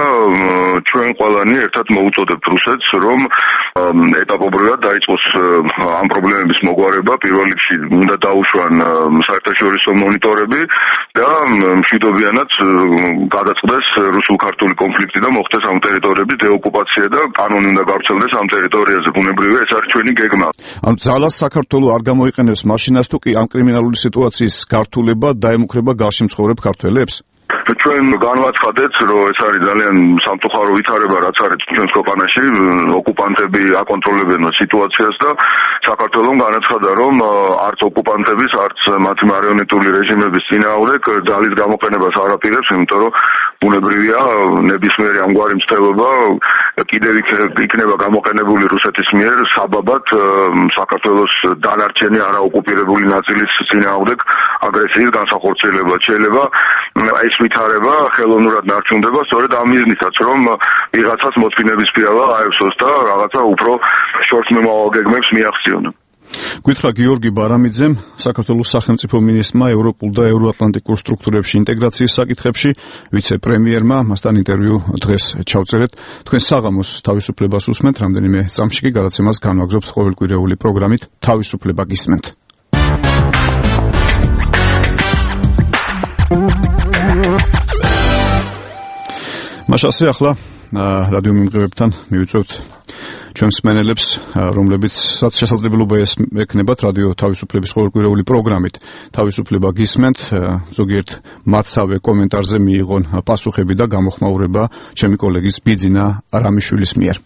ჩვენ ყველანი ერთად მოვუწოდებთ რუსეთს, რომ ეტაპობრივად დაიწყოს ამ პრობლემების მოგვარება. პირველ რიგში უნდა დაუშვან საერთაშორისო მონიტორები და მშვიდობიანად გადაწყდეს რუსულ-ქართული კონფლიქტი და მოხდეს ამ ტერიტორიების დეოკუპაცია და კანონი უნდა გავრცელდეს ამ ტერიტორიაზე. ბუნებრივია ეს არის ჩვენი გეგმა. ანუ ძალას საქართველოს არ გამოიყენებს მაშინაც თუ კი ამ კრიმინალური სიტუაციის გართულება დაემუქრება გარშემო მცხოვრებ ქართველებს? ჩვენ განვაცხადეთ, რომ ეს არის ძალიან სამწუხარო ვითარება, რაც არის ჩვენს ქვეყანაში, ოკუპანტები აკონტროლებენ სიტუაციას და საქართველოს განაცხადა, რომ არც ოკუპანტების, არც მათი მარიონეტული რეჟიმების წინააღმდეგ ძალის გამოყენებას არ აპირებს, იმიტომ რომ ბუნებრივია ნებისმიერი ამგვარი მცდელობა კიდევ იქნება გამოყენებული რუსეთის მიერ საბაბად საქართველოს დანარჩენი არაოკუპირებული ნაწილის წინააღმდეგ აგრესიის განსახორციელებლად. შეიძლება ეს ვითარება ხელოვნურად ნარჩუნდება სწორედ ამ მიზნითაც, რომ ვიღაცას მოწინების პირავა აევსოს და რაღაცა უფრო შორსმემავალ გეგმებს მიაღწიონ. გითხრა გიორგი ბარამიძემ, საქართველოს სახელმწიფო მინისტრმა ევროპულ და ევროატლანტიკურ სტრუქტურებში ინტეგრაციის საკითხებში, ვიცე-პრემიერმა, მასთან ინტერვიუ დღეს ჩავწერეთ. თქვენ საღამოს თავისუფლებას უსმენთ, რამდენიმე წამში კი გადაცემას განვაგრძობთ ყოველკვირეული პროგრამით თავისუფლება გისმენთ. მაშასე ახლა რადიო მიმღებებთან მივიწევთ ჩვენს მსმენელებს, რომლებიცაც შესაძლებლობა ექნებათ რადიო თავისუფლების ყოველკვირეული პროგრამით თავისუფლება გისმენთ, ზოგიერთ მათსავე კომენტარზე მიიღონ პასუხები და გამოხმაურება ჩემი კოლეგის ბიძინა რამიშვილის მიერ.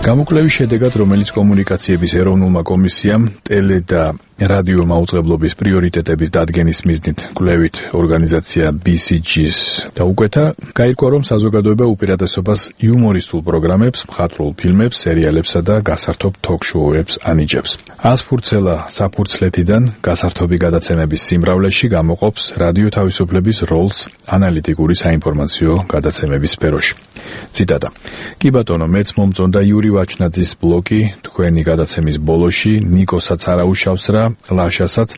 გამოკვლევის შედეგად, რომელიც კომუნიკაციების ეროვნულმა კომისიამ ტელე და რადიო მაუწყებლობის პრიორიტეტების დადგენის მიზნით კვლევით ორგანიზაცია BCG-ს დაუკვეთა, გაირკვა, რომ საზოგადოება უპირატესობას იუმორისტულ პროგრამებს, მხატვრულ ფილმებს, სერიალებსა და გასართობ თოქ-შოუებს ანიჭებს. ასფურცელა საფურცლეთიდან გასართობი გადაცემების სიმრავლეში გამოყოფს რადიო თავისუფლების როლს ანალიტიკური საინფორმაციო გადაცემების სფეროში. ციტატა. კი ბატონო, მეც მომწონდა იური ვაჩნაძის ბლოგი თქვენი გადაცემის ბოლოში, ნიკოსაც არ აუშავს რა, ლაშასაც,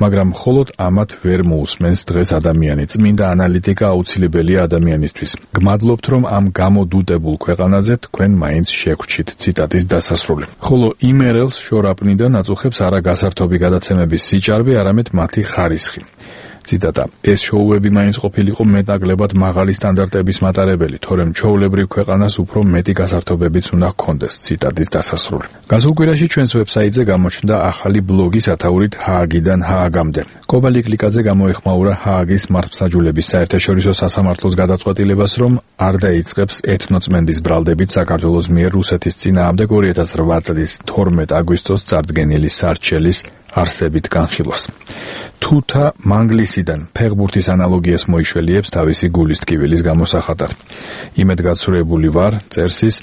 მაგრამ მხოლოდ ამათ ვერ მოусმენს დღეს ადამიანი. წმინდა ანალიტიკა აუცილებელია ადამიანისთვის. გმადლობთ, რომ ამ გამოდუტებულ ქვეყანაზე თქვენ მაინც შეგვრჩით. ციტატის დასასრული. ხოლო იმერელს შორაპნიდან აწუხებს არა გასართობი გადაცემების სიჭარბე, არამედ მათი ხარისხი. ციტატა. ეს შოუები მაინც ყოფილიყო მეტნაკლებად მაღალი სტანდარტების მატარებელი, თორემ ჩვეულებრივ ქვეყანას უფრო მეტი გასართობებიც უნდა ჰქონდეს. ციტატის დასასრული. გასულ კვირაში ჩვენს ვებსაიტზე გამოჩნდა ახალი ბლოგი სათაურით ჰააგიდან ჰააგამდე. კობალი კლიკაძე გამოეხმაურა ჰააგის მართლმსაჯულების საერთაშორისო სასამართლოს გადაწყვეტილებას, რომ არ დაიწყებს ეთნოწმენდის ბრალდებით საქართველოს მიერ რუსეთის წინააღმდეგ 2008 წლის 12 აგვისტოს წარდგენილი სარჩელის არსებით განხილვას. თუთა მანგლისიდან ფეხბურთის ანალოგიას მოიშველიებს თავისი გულის ტკივილის გამოსახატად. იმედგაცრუებული ვარ, წერს ის,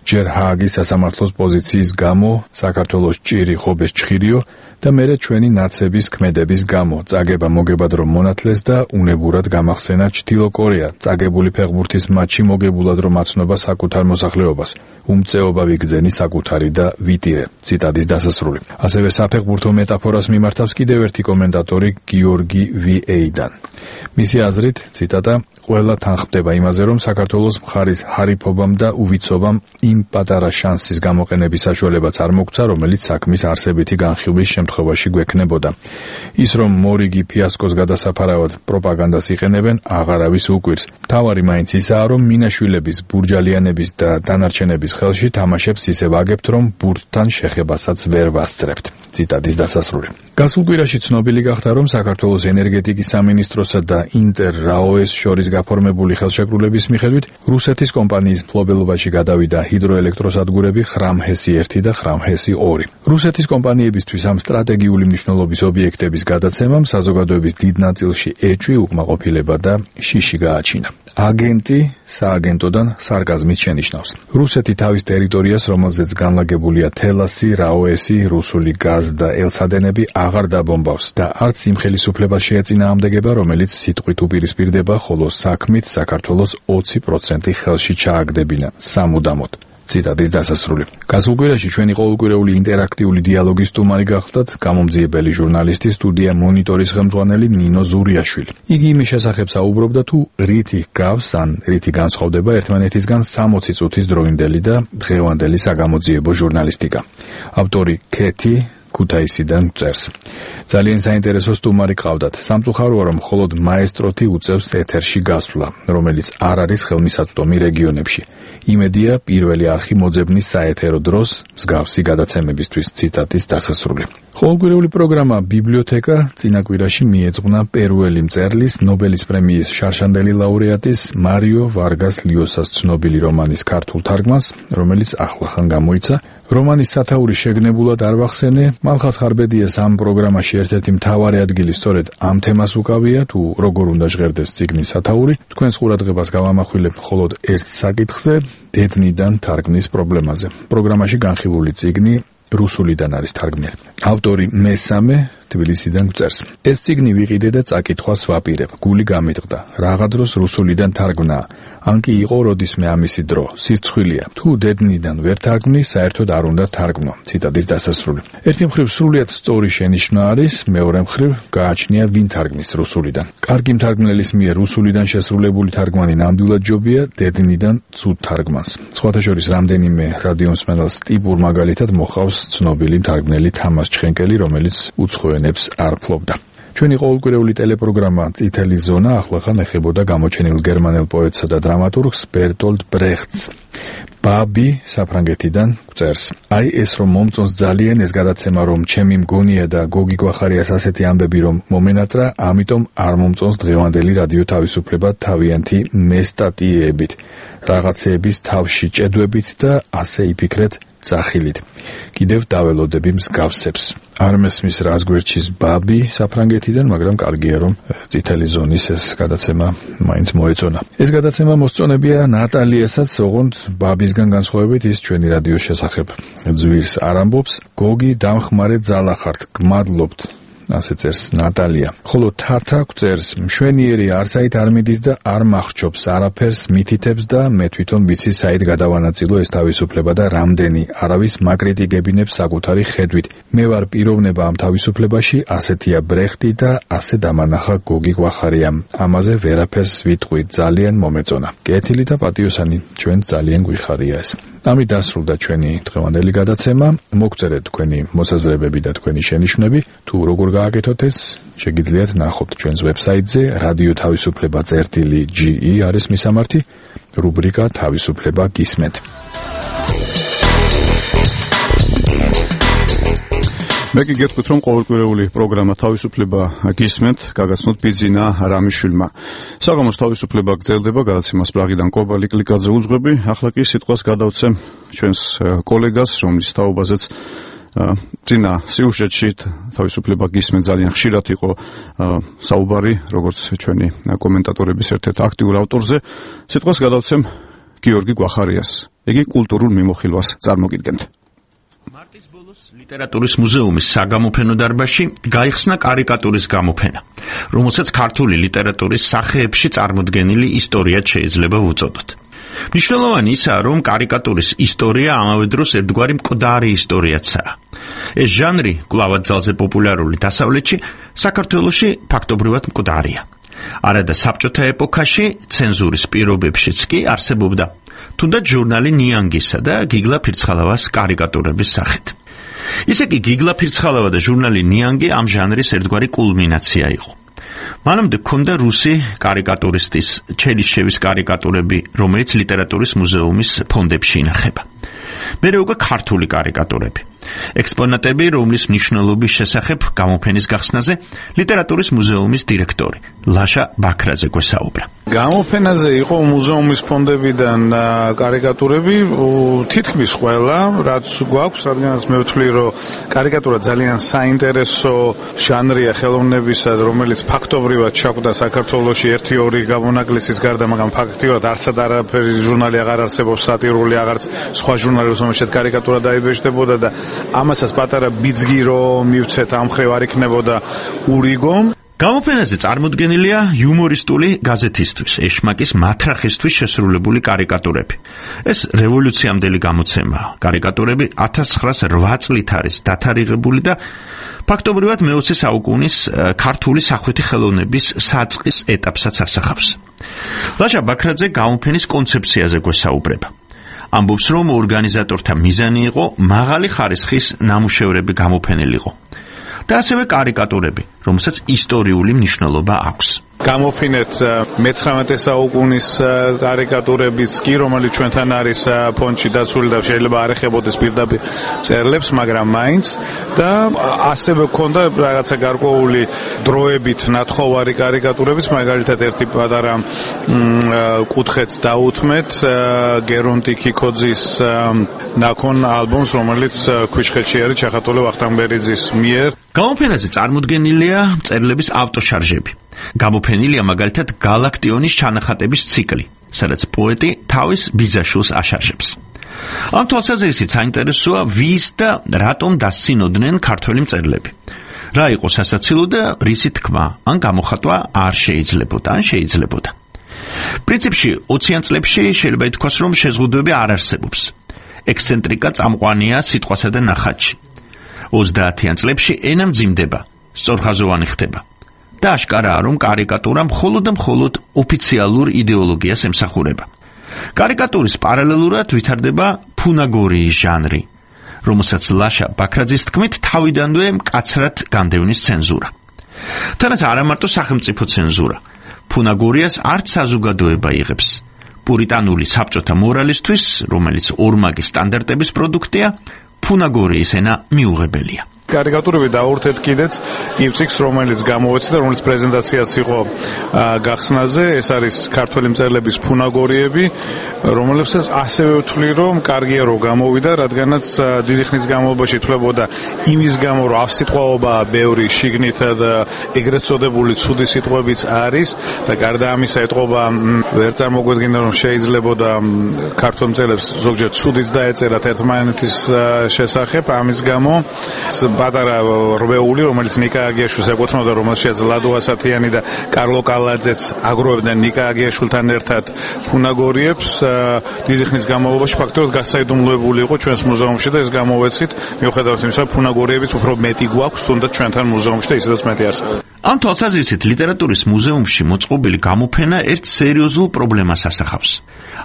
ჯერ ჰააგის სასამართლოს პოზიციის გამო, საქართველოს ჭირი ხობეს ჩხირიო და მერე ჩვენი ნაცების ქმედების გამო წაგება მოგებად რომ მონათლეს და უნებურად გამახსენა ჩრდილო კორეა წაგებული ფეხბურთის მატჩი მოგებულად რომ აცნობა საკუთარ მოსახლეობას უმწეობა ვიგრძენი საკუთარი და ვიტირე. ციტატის დასასრული. ასევე საფეხბურთო მეტაფორას მიმართავს კიდევ ერთი კომენტატორი გიორგი ვიეიდან. მისი აზრით, ციტატა, ყველა თან ხდება იმაზე, რომ საქართველოს მხარის ჰარიფობამ და უვიცობამ იმ პატარა შანსის გამოყენების საშუალებაც არ მოგცა, რომელიც საქმის არსებითი განხილვის შემთხვევაში გვექნებოდა. ის რომ მორიგი ფიასკოს გადასაფარავად პროპაგანდას იყენებენ, აღარავის უკვირს. მთავარი მაინც ისაა, რომ მინაშვილების, ბურჯალიანების და დანარჩენების ხელში თამაშებს ისე ვაგებთ, რომ ბურთთან შეხებასაც ვერ ვასწრებთ. ციტატის დასასრული. გასულ კვირაში ცნობილი გახდა, რომ საქართველოს ენერგეტიკის სამინისტროსა და ინტერ-რაოეს შორის გაფორმებული ხელშეკრულების მიხედვით რუსეთის კომპანიის მფლობელობაში გადავიდა ჰიდროელექტროსადგურები ხრამჰესი 1 და ხრამჰესი 2. რუსეთის კომპანიებისთვის ამ სტრატეგიული მნიშვნელობის ობიექტების გადაცემამ საზოგადოების დიდ ნაწილში ეჭვი, უკმაყოფილება და შიში გააჩინა. აგენტი სააგენტოდან სარკაზმით შენიშნავს. რუსეთი თავის ტერიტორიას, რომელზეც განლაგებულია თელასი, რაოესი, რუსული გაზ და ელსადენები აღარ დაბომბავს და არც იმ ხელისუფლებას შეეწინააღმდეგება, რომელიც სიტყვით უპირისპირდება, ხოლო საქმით საქართველოს 20% ხელში ჩააგდებინა სამუდამოდ. ციტატის დასასრული. გასულ კვირაში ჩვენი ყოველკვირეული ინტერაქტიული დიალოგის სტუმარი გახდათ გამომძიებელი ჟურნალისტი სტუდია მონიტორის ხელმძღვანელი ნინო ზურიაშვილი. იგი იმის შესახებ საუბრობდა, თუ რითი გავს ან რითი განსხვავდება ერთმანეთისგან 60 წუთის დროინდელი და დღევანდელი საგამოძიებო ჟურნალისტიკა. ავტორი ქეთი ქუთაისიდან წერს. ძალიან საინტერესო სტუმარი ყავდათ. სამწუხაროა, რომ მხოლოდ მაესტროთი უწევს ეთერში გასვლა, რომელიც არ არის ხელმისაწვდომი რეგიონებში. იმედია პირველი არხი მოძებნის საეთერო დროს მსგავსი გადაცემებისთვის. ციტატის დასასრული. ყოველკვირეული პროგრამა ბიბლიოთეკა წინა კვირაში მიეძღვნა პერუელი მწერლის ნობელის პრემიის შარშანდელი ლაურეატის მარიო ვარგას ლიოსას ცნობილი რომანის ქართულ თარგმანს, რომელიც ახლახან გამოიცა. რომანის სათაური შეგნებულად არ ვახსენე, მალხაზ ხარბედიას ამ პროგრამაში ერთ-ერთი მთავარი ადგილი სწორედ ამ თემას უკავია, თუ როგორ უნდა ჟღერდეს წიგნის სათაური. თქვენს ყურადღებას გავამახვილებ მხოლოდ ერთ საკითხზე, დედნიდან თარგმნის პრობლემაზე. პროგრამაში განხილული წიგნი რუსულიდან არის თარგმნილი. ავტორი მესამე თბილისიდან წერს. ეს წიგნი ვიყიდე და წაკითხვას ვაპირებ. გული გამიტყდა. რაღა დროს რუსულიდან თარგმნა. ან კი იყო როდისმე ამისი დრო. სირცხვილია. თუ დედნიდან ვერ თარგმნი, საერთოდ არ უნდა თარგმნო. ციტატის დასასრული. ერთი მხრივ სრულიად სწორი შენიშვნა არის, მეორე მხრივ გააჩნია ვინ თარგმნის რუსულიდან. კარგი მთარგმნელის მიერ რუსულიდან შესრულებული თარგმანი ნამდვილად ჯობია, დედნიდან ცუდ თარგმანს. სხვათა შორის რამდენიმე რადიომსმენელს ტიპურ მაგალითად მოხავს ცნობილი მთარგმნელი თამას ჩხენკელი, რომელიც უცხოენებს არ ფლობდა. ჩვენი ყოველკვირეული ტელეპროგრამა წითელი ზონა ახლახან ეხებოდა გამოჩენილ გერმანელ პოეტსა და დრამატურგს ბერტოლდ ბრეხტს. ბაბი საფრანგეთიდან წერს. აი ეს რომ მომწონს ძალიან ეს გადაცემა, რომ ჩემი მგონია და გოგი გვახარიას ასეთი ამბები რომ მომენატრა, ამიტომ არ მომწონს დღევანდელი რადიო თავისუფლება თავიანთი მესტატიებით, რაღაცეების თავში ჭედვებით და ასე იფიქრეთ წახილით. კიდევ დაველოდები მსგავსებს. არ მესმის რას გვერდჩის ბაბი საფრანგეთიდან, მაგრამ კარგია რომ წითელი ზონის ეს გადაცემა მაინც მოეწონა. ეს გადაცემა მოსწონებია ნატალიასაც, ოღონდ ბაბისგან განსხვავებით ის ჩვენი რადიოს შესახებ ძვირს არ ამბობს. გოგი დამხმარე ძალა ხართ, გმადლობთ. ასე წერს ნატალია. ხოლო თათა წერს, მშვენიერი არცაით არ მიდის და არ მახრჩობს არაფერს, მითითებს და მე თვითონ ვიცი საით გადავანაწილო ეს თავისუფლება და რამდენი არავის მაკრიტიკებინებს საკუთარი ხედვით. მე ვარ პიროვნება ამ თავისუფლებაში, ასეთია ბრეხტი და ასე დამანახა გოგი გვახარიამ. ამაზე ვერაფერს ვიტყვი, ძალიან მომეწონა. კეთილი და პატიოსანი, ჩვენ ძალიან გვიხარია ეს. ამით დასრულდა ჩვენი დღევანდელი გადაცემა. მოგწერეთ თქვენი მოსაზრებები და თქვენი შენიშვნები. თუ როგორ გააკეთოთ ეს, შეგიძლიათ ნახოთ ჩვენს ვებსაიტზე radio-ge არის მისამართი, რუბრიკა თავისუფლება გისმენთ. მე კი გეტყვით, რომ ყოველკვირეული პროგრამა თავისუფლება გისმენთ, გაგაცნოთ ბიძინა რამიშვილმა. საღამოს თავისუფლება გრძელდება, გადაცემას პრაღიდან კობალი კლიკაძე უძღვები. ახლა კი სიტყვას გადავცემ ჩვენს კოლეგას, რომლის თაობაზეც წინა სიუჟეტში თავისუფლება გისმენთ ძალიან ხშირად იყო საუბარი, როგორც ჩვენი კომენტატორების ერთ-ერთ აქტიურ ავტორზე. სიტყვას გადავცემ გიორგი გვახარიას. იგი კულტურულ მიმოხილვას წარმოგიდგენთ. ლიტერატურის მუზეუმის საგამოფენო დარბაზში გაიხსნა კარიკატურის გამოფენა, რომელსაც ქართული ლიტერატურის სახეებში წარმოდგენილი ისტორიად შეიძლება ვუწოდოთ. მნიშვნელოვანი ისაა, რომ კარიკატურის ისტორია ამავე დროს ერთგვარი მკვდარი ისტორიაცაა. ეს ჟანრი კვლავად ძალზე პოპულარული დასავლეთში, საქართველოში ფაქტობრივად მკვდარია. არადა საბჭოთა ეპოქაში ცენზურის პირობებშიც კი არსებობდა თუნდაც ჟურნალი ნიანგისა და გიგლა ფირცხალავას კარიკატურების სახით. ისე კი გიგლა ფირცხალავა და ჟურნალი ნიანგი ამ ჟანრის ერთგვარი კულმინაცია იყო. მანამდე ჰქონდა რუსი კარიკატურისტის ჩელიშვევის კარიკატურები, რომელიც ლიტერატურის მუზეუმის ფონდებში ინახება. მერე უკვე ქართული კარიკატურები. ექსპონატები, რომლის მნიშვნელობის შესახებ გამოფენის გახსნაზე ლიტერატურის მუზეუმის დირექტორი ლაშა ბაქრაძე გვესაუბრა. გამოფენაზე იყო მუზეუმის ფონდებიდან კარიკატურები, თითქმის ყველა, რაც გვაქვს, რადგანაც მე ვთვლი, რომ კარიკატურა ძალიან საინტერესო ჟანრია ხელოვნებისა, რომელიც ფაქტობრივად ჩაკვდა საქართველოში 1-2 გამონაკლისის გარდა, მაგრამ ფაქტობრივად არცად არაფერი ჟურნალი აღარ არსებობს, სატირული აღარც სხვა ჟურნალი, რომელშიც კარიკატურა დაიბეჭდებოდა და ამასაც პატარა ბიძგი რომ მივცეთ ამ ხრივ არ იქნებოდა ურიგო. გამოფენაზე წარმოდგენილია იუმორისტული გაზეთისთვის, ეშმაკის მათრახისთვის შესრულებული კარიკატურები. ეს რევოლუციამდელი გამოცემაა. კარიკატურები 1908 წლით არის დათარიღებული და ფაქტობრივად მე-20 საუკუნის ქართული სახვითი ხელოვნების საწყის ეტაპსაც ასახავს. ლაშა ბაქრაძე გამოფენის კონცეფციაზე გვესაუბრება. ამბობს, რომ ორგანიზატორთა მიზანი იყო მაღალი ხარისხის ნამუშევრები გამოფენილიყო და ასევე კარიკატურები, რომელსაც ისტორიული მნიშვნელობა აქვს. გამოფინეთ მე-19 საუკუნის კარიკატურებიც კი, რომელიც ჩვენთან არის ფონდში დაცული და შეიძლება არ ეხებოდეს პირდაპირ წერლებს, მაგრამ მაინც და ასევე ქონდა რაღაცა გარკვეული დროებით ნათხოვარი კარიკატურებიც, მაგალითად ერთი პატარა კუთხეც დაუთმეთ გერონტი კიკოძის ნაკონ ალბომს, რომელიც ქვიშხეთში არის ჩახატული ვახტანგბერიძის მიერ. გამოფენაზე წარმოდგენილია მწერლების ავტოშარჟები. გამოფენილია მაგალითად გალაქტიონის ჩანახატების ციკლი, სადაც პოეტი თავის ბიძაშვილს აშაშებს. ამ თვალსაზრისით საინტერესოა ვის და რატომ დასცინოდნენ ქართველი მწერლები. რა იყო სასაცილო და რისი თქმა ან გამოხატვა არ შეიძლებოდა ან შეიძლებოდა. პრინციპში 20-იან წლებში შეიძლება ითქვას, რომ შეზღუდვები არ არსებობს. ექსცენტრიკა წამყვანია სიტყვასა და ნახატში. 30-იან წლებში ენა მძიმდება, სწორხაზოვანი ხდება. და აშკარაა, რომ კარიკატურა მხოლოდ და მხოლოდ ოფიციალურ იდეოლოგიას ემსახურება. კარიკატურის პარალელურად ვითარდება ფუნაგორიის ჟანრი, რომელსაც ლაშა ბაქრაძის თქმით თავიდანვე მკაცრად განდევნის ცენზურა. თანაც არა მარტო სახელმწიფო ცენზურა, ფუნაგორიას არც საზოგადოება იღებს. პურიტანული საბჭოთა მორალისთვის, რომელიც ორმაგი სტანდარტების პროდუქტია, ფუნაგორიის ენა მიუღებელია. კარიკატურები დაურთეთ კიდეც იმ ციკლს, რომელიც გამოვეცი და რომელიც პრეზენტაციაც იყო გახსნაზე, ეს არის ქართველი მწერლების ფუნაგორიები, რომლებსაც ასევე ვთვლი, რომ კარგია რომ გამოვიდა, რადგანაც დიდი ხნის განმავლობაში თვლებოდა იმის გამო, რომ ავსიტყვაობაა ბევრი შიგნითა და ეგრეთ წოდებული ცუდი სიტყვებიც არის და გარდა ამისა ეტყობა ვერ წარმოგვედგინა, რომ შეიძლებოდა ქართველ მწერლებს ზოგჯერ ცუდიც დაეწერათ ერთმანეთის შესახებ, ამის გამო პატარა რვეული, რომელიც ნიკა აგიაშვილს ეკუთვნოდა, რომელშიც ლადო ასათიანი და კარლო კალაძეც აგროვებდნენ ნიკა აგიაშვილთან ერთად ფუნაგორიებს. დიდი ხნის განმავლობაში ფაქტობრივად გასაიდუმლოებული იყო ჩვენს მუზეუმში და ეს გამოვეცით, მიუხედავად იმისა, ფუნაგორიებიც უფრო მეტი გვაქვს, თუნდაც ჩვენთან მუზეუმში და ისედაც მეტი არსებობს. ამ თვალსაზრისით ლიტერატურის მუზეუმში მოწყობილი გამოფენა ერთ სერიოზულ პრობლემას ასახავს.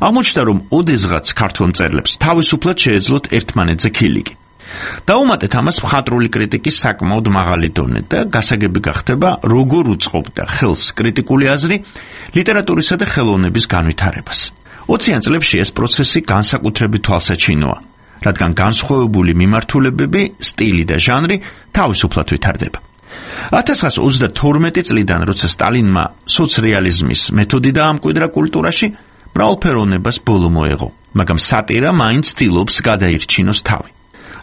აღმოჩნდა, რომ ოდესღაც ქართველ მწერლებს თავისუფლად შეეძლოთ ერთმანეთზე ქილიკი. დაუმატეთ ამას მხატვრული კრიტიკის საკმაოდ მაღალი დონე და გასაგები გახდება, როგორ უწყობდა ხელს კრიტიკული აზრი ლიტერატურისა და ხელოვნების განვითარებას. 20-იან წლებში ეს პროცესი განსაკუთრებით თვალსაჩინოა, რადგან განსხვავებული მიმართულებები, სტილი და ჟანრი თავისუფლად ვითარდება. 1922 წლიდან, როცა სტალინმა სოცრეალიზმის მეთოდი დაამკვიდრა კულტურაში, მრავალფეროვნებას ბოლო მოეღო, მაგრამ სატირა მაინც ცდილობს გადაირჩინოს თავი.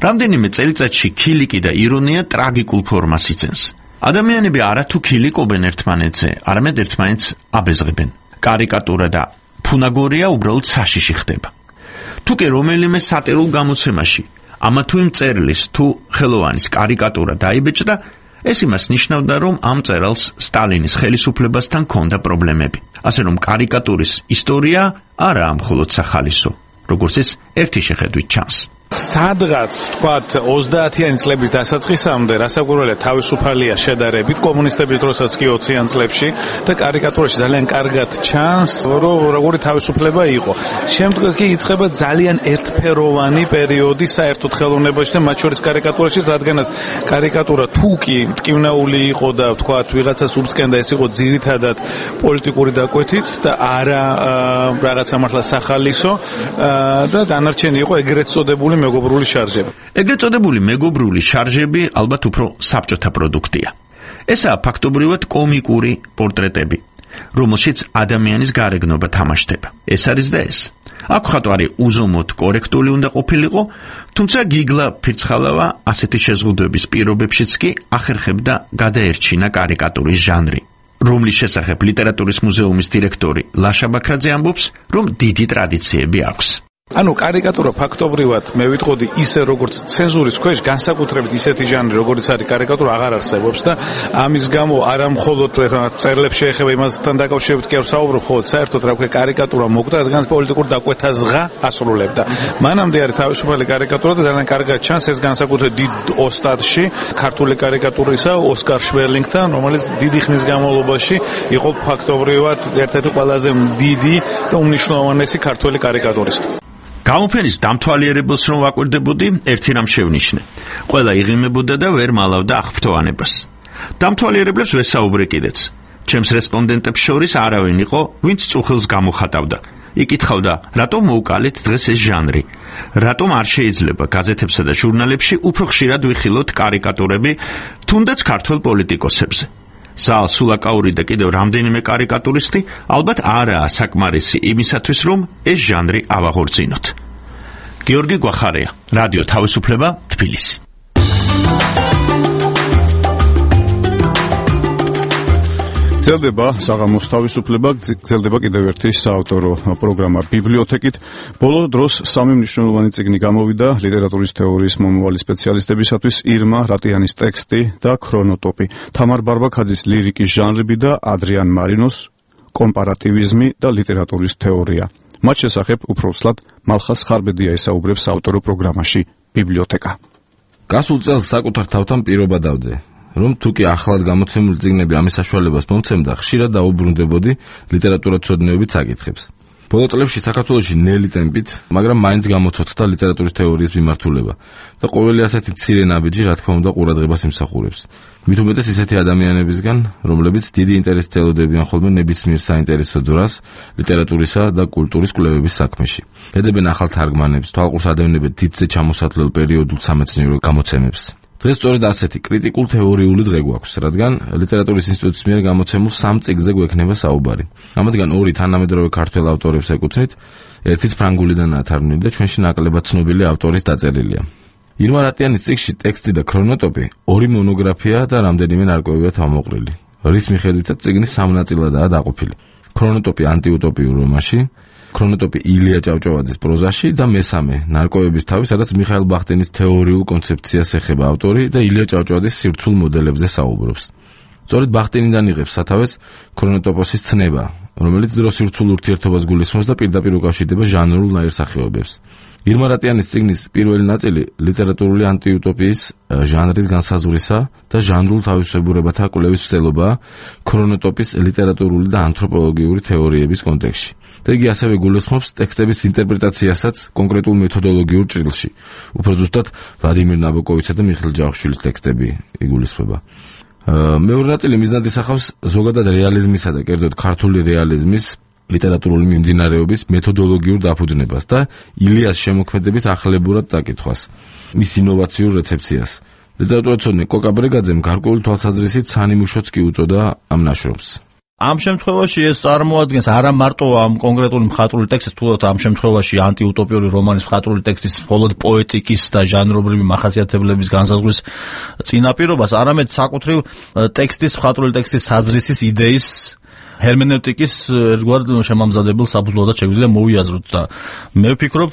რამდენიმე წელიწადში ქილიკი და ირონია ტრაგიკულ ფორმას იძენს. ადამიანები არათუ ქილიკობენ ერთმანეთზე, არამედ ერთმანეთს აბეზღებენ. კარიკატურა და ფუნაგორია უბრალოდ საშიში ხდება. თუ კი რომელიმე სატირულ გამოცემაში ამა თუ იმ მწერლის თუ ხელოვანის კარიკატურა დაიბეჭდა, ეს იმას ნიშნავდა, რომ ამ მწერალს სტალინის ხელისუფლებასთან ჰქონდა პრობლემები. ასე რომ კარიკატურის ისტორია არაა მხოლოდ სახალისო, როგორც ეს ერთი შეხედვით ჩანს. სადღაც თქვათ 30-იანი წლების დასაწყისამდე რასაკვირველია თავისუფალია შედარებით კომუნისტების დროსაც კი 20-იან წლებში და კარიკატურაში ძალიან კარგად ჩანს, რომ როგორი თავისუფლება იყო. შემდეგ კი იწყება ძალიან ერთფეროვანი პერიოდი საერთოდ ხელოვნებაში და მათ შორის კარიკატურაში, რადგანაც კარიკატურა თუ კი მტკივნეული იყო და თქვათ ვიღაცას უბწკენდა, ეს იყო ძირითადად პოლიტიკური დაკვეთით და არა რაღაცა მართლა სახალისო და დანარჩენი იყო ეგრეთ წოდებული მეგობრული შარჟები. ეგრეთ წოდებული მეგობრული შარჟები ალბათ უფრო საბჭოთა პროდუქტია. ესაა ფაქტობრივად კომიკური პორტრეტები, რომელშიც ადამიანის გარეგნობა თამაშდება. ეს არის და ეს. აქ ხატვარი უზომოდ კორექტული უნდა ყოფილიყო, თუმცა გიგლა ფირცხალავა ასეთი შეზღუდვების პირობებშიც კი ახერხებდა გადაერჩინა კარიკატურის ჟანრი, რომლის შესახებ ლიტერატურის მუზეუმის დირექტორი ლაშა ბაქრაძე ამბობს, რომ დიდი ტრადიციები აქვს. ანუ კარიკატურა ფაქტობრივად მე ვიტყოდი ისე როგორც ცენზურის ქვეშ განსაკუთრებით ისეთი ჟანრი როგორც არის კარიკატურა აღარ არსებობს და ამის გამო არა მხოლოდ წერლებს შეეხება იმასთან დაკავშირებით კი არ ვსაუბრობ, ხოლო საერთოდ რა ვქო კარიკატურა მოკვდა, რადგან პოლიტიკურ დაკვეთაზღა ასრულებდა. მანამდე არის თავისუფალი კარიკატურა და ძალიან კარგად ჩანს ეს განსაკუთრებით დიდ ოსტატში ქართული კარიკატურისა ოსკარ შვერლინგთან, რომელიც დიდი ხნის განმავლობაში იყო ფაქტობრივად ერთ-ერთი ყველაზე დიდი და უმნიშვნელოვანესი ქართული კარიკატურისტი. გამოფენის დამთვალიერებელს რომ ვაკვირდებოდი, ერთი რამ შევნიშნე. ყველა იღიმებოდა და ვერ მალავდა აღფრთოვანებას. დამთვალიერებლებს ვესაუბრე კიდეც. ჩემს რესპონდენტებს შორის არავინ იყო, ვინც წუხილს გამოხატავდა. იკითხავდა, რატომ მოუკალეთ დღეს ეს ჟანრი? რატომ არ შეიძლება გაზეთებსა და ჟურნალებში უფრო ხშირად ვიხილოთ კარიკატურები, თუნდაც ქართველ პოლიტიკოსებზე? ზალ სულაკაური და კიდევ რამდენიმე კარიკატურისტი ალბათ არაა საკმარისი იმისათვის, რომ ეს ჟანრი ავაღორძინოთ. გიორგი გვახარია, რადიო თავისუფლება, თბილისი. გრძელდება საღამოს თავისუფლება, გრძელდება კიდევ ერთი საავტორო პროგრამა ბიბლიოთეკით. ბოლო დროს სამი მნიშვნელოვანი წიგნი გამოვიდა ლიტერატურის თეორიის მომავალი სპეციალისტებისათვის: ირმა რატიანის ტექსტი და ქრონოტოპი, თამარ ბარბაქაძის ლირიკის ჟანრები და ადრიან მარინოს კომპარატივიზმი და ლიტერატურის თეორია. მათ შესახებ უფრო ვსლად მალხას ხარბედია ესაუბრებს საავტორო პროგრამაში ბიბლიოთეკა. გასულ წელს საკუთარ თავთან პირობა დავდე, რომ თუ კი ახლად გამოცემული წიგნები ამის საშუალებას მომცემდა, ხშირად დაუბრუნდებოდი ლიტერატურათმცოდნეობით საკითხებს. ბოლო წლებში საქართველოში ნელი ტემპით, მაგრამ მაინც გამოცოცხლდა ლიტერატურის თეორიის მიმართულება და ყოველი ასეთი მცირე ნაბიჯი, რა თქმა უნდა, ყურადღებას იმსახურებს. მით უმეტეს ისეთი ადამიანებისგან, რომლებიც დიდი ინტერესით ელოდებიან ხოლმე ნებისმიერ საინტერესო დროს ლიტერატურისა და კულტურის კვლევების საქმეში. ეძებენ ახალ თარგმანებს, თვალყურს ადევნებენ დიდზე ჩამოსათვლელ პერიოდულ სამეცნიერო გამოცემებს. დღეს სწორედ ასეთი კრიტიკულ თეორიული დღე გვაქვს, რადგან ლიტერატურის ინსტიტუტის მიერ გამოცემულ 3 წიგნზე გვექნება საუბარი. ამათგან 2 თანამედროვე ქართველ ავტორებს ეკუთვნით, ერთიც ფრანგულიდან ათარგმნილი და ჩვენში ნაკლებად ცნობილი ავტორის დაწერილია. ირმა რატიანის წიგნში ტექსტი და ქრონოტოპი 2 მონოგრაფია და რამდენიმე ნარკვევია თავმოყრილი, რის მიხედვითაც წიგნი 3 ნაწილადაა დაყოფილი. ქრონოტოპი ანტიუტოპიურ რომანში, ქრონოტოპი ილია ჭავჭავაძის პროზაში და მესამე ნარკვევების თავი, სადაც მიხაილ ბახტინის თეორიულ კონცეფციას ეხება ავტორი და ილია ჭავჭავაძის სირცულ მოდელებზე საუბრობს. სწორედ ბახტინიდან იღებს სათავეს ქრონოტოპოსის ცნება, რომელიც დროს სირცულ ურთიერთობას გულისხმობს და პირდაპირ უკავშირდება ჟანრულ ნაირსახეობებს. ირმა რატიანის წიგნის პირველი ნაწილი ლიტერატურული ანტიუტოპიის ჟანრის განსაზღვრისა და ჟანრულ თავისებურებათა კვლევის მსვლელობაა ქრონოტოპის ლიტერატურული და ანთროპოლოგიური თეორიების კონტექსტში. და იგი ასევე გულისხმობს ტექსტების ინტერპრეტაციასაც კონკრეტულ მეთოდოლოგიურ ჭრილში. უფრო ზუსტად, ვლადიმერ ნაბოკოვიჩსა და მიხეილ ჯავახიშვილის ტექსტები იგულისხმება. მეორე ნაწილი მიზნად ისახავს ზოგადად რეალიზმისა და კერძოდ ქართული რეალიზმის ლიტერატურული მიმდინარეობის მეთოდოლოგიურ დაფუძნებას და ილიას შემოქმედებით ახლებურად დაკითხვას, მის ინოვაციურ რეცეფციას. ლიტერატურაცოდნე კოკა ბრეგაძემ გარკვეული თვალსაზრისით სანიმუშოც კი უწოდა ამ ნაშრომს. ამ შემთხვევაში ეს წარმოადგენს არა მარტო ამ კონკრეტული მხატვრული ტექსტის, თუმცა ამ შემთხვევაში ანტიუტოპიური რომანის მხატვრული ტექსტის მხოლოდ პოეტიკის და ჟანრობრივი მახასიათებლების განსაზღვრის წინაპირობას, არამედ საკუთრივ ტექსტის, მხატვრული ტექსტის საზრისის იდეის ჰერმენევტიკის ერთგვარ შემამზადებელ საფუძვლოდაც შეგვიძლია მოვიაზროთ და მე ვფიქრობ,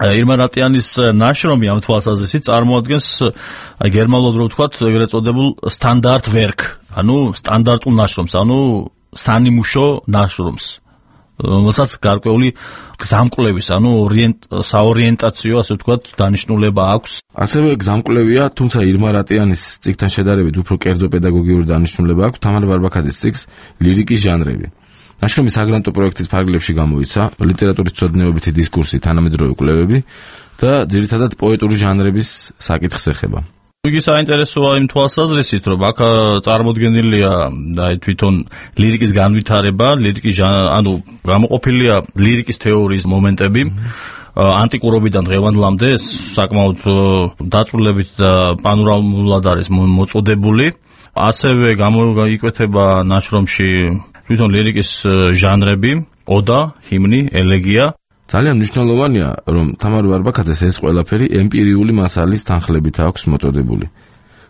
ირმა რატიანის ნაშრომი ამ თვალსაზრისით წარმოადგენს გერმანულად რო ვთქვათ, ეგრეთ წოდებულ სტანდარტ ვერკ, ანუ სტანდარტულ ნაშრომს, ანუ სანიმუშო ნაშრომს, რომელსაც გარკვეული გზამკვლევის, ანუ საორიენტაციო, ასე ვთქვათ, დანიშნულება აქვს. ასევე გზამკვლევია, თუმცა ირმა რატიანის წიგნთან შედარებით უფრო კერძო პედაგოგიური დანიშნულება აქვს თამარ ვარბაქაძის წიგნს ლირიკის ჟანრები. ნაშრომი საგრანტო პროექტის ფარგლებში გამოიცა, ლიტერატურის მცოდნეობითი დისკურსი, თანამედროვე კვლევები და ძირითადად პოეტური ჟანრების საკითხს ეხება. იგი საინტერესოა იმ თვალსაზრისით, რომ აქ წარმოდგენილია თვითონ ლირიკის განვითარება, ანუ გამოყოფილია ლირიკის თეორიის მომენტები ანტიკურობიდან დღევანდლამდე, საკმაოდ დაწვრილებით და პანორამულად არის მოწოდებული. ასევე გამოიკვეთება ნაშრომში თვითონ ლირიკის ჟანრები, ოდა, ჰიმნი, ელეგია. ძალიან მნიშვნელოვანია, რომ თამარ ვარბაქაძეს ეს ყველაფერი ემპირიული მასალის თანხლებით აქვს მოწოდებული.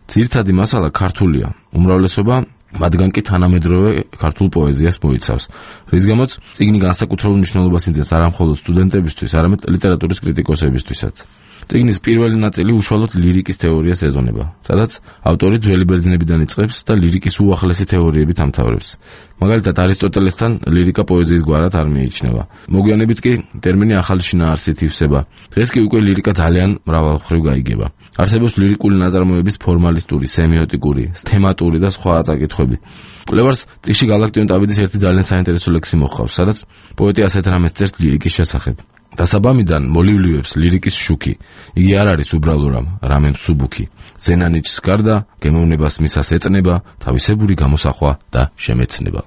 ძირითადი მასალა ქართულია, უმრავლესობა მათგან კი თანამედროვე ქართულ პოეზიას მოიცავს, რის გამოც წიგნი განსაკუთრებულ მნიშვნელობას იძენს არა მხოლოდ სტუდენტებისთვის, არამედ ლიტერატურის კრიტიკოსებისთვისაც. წიგნის პირველი ნაწილი უშუალოდ ლირიკის თეორიას ეძღვნება, სადაც ავტორი ძველი ბერძნებიდან იწყებს და ლირიკის უახლესი თეორიებით ამთავრებს. მაგალითად, არისტოტელესთან ლირიკა პოეზიის გვარად არ მიიჩნევა. მოგვიანებით კი ტერმინი ახალი შინაარსით ივსება. დღეს კი უკვე ლირიკა ძალიან მრავალმხრივ გაიგება. არსებობს ლირიკული ნაწარმოების ფორმალისტური, სემიოტიკური, თემატური და სხვა წაკითხვები. კვლევარს წიგნში გალაქტიონ ტაბიდის ერთი ძალიან საინტერესო ლექსი მოჰყავს, სადაც პოეტი ასეთ რამეს წერს ლირიკის შესახებ. დასაბამიდან მოლივლიებს ლირიკის შუქი. იგი არ არის უბრალო რამე მსუბუქი. ზენანიჩს გარდა გემოვნებას მისას ეწნება, თავისებური გამოსახვა და შემეცნება.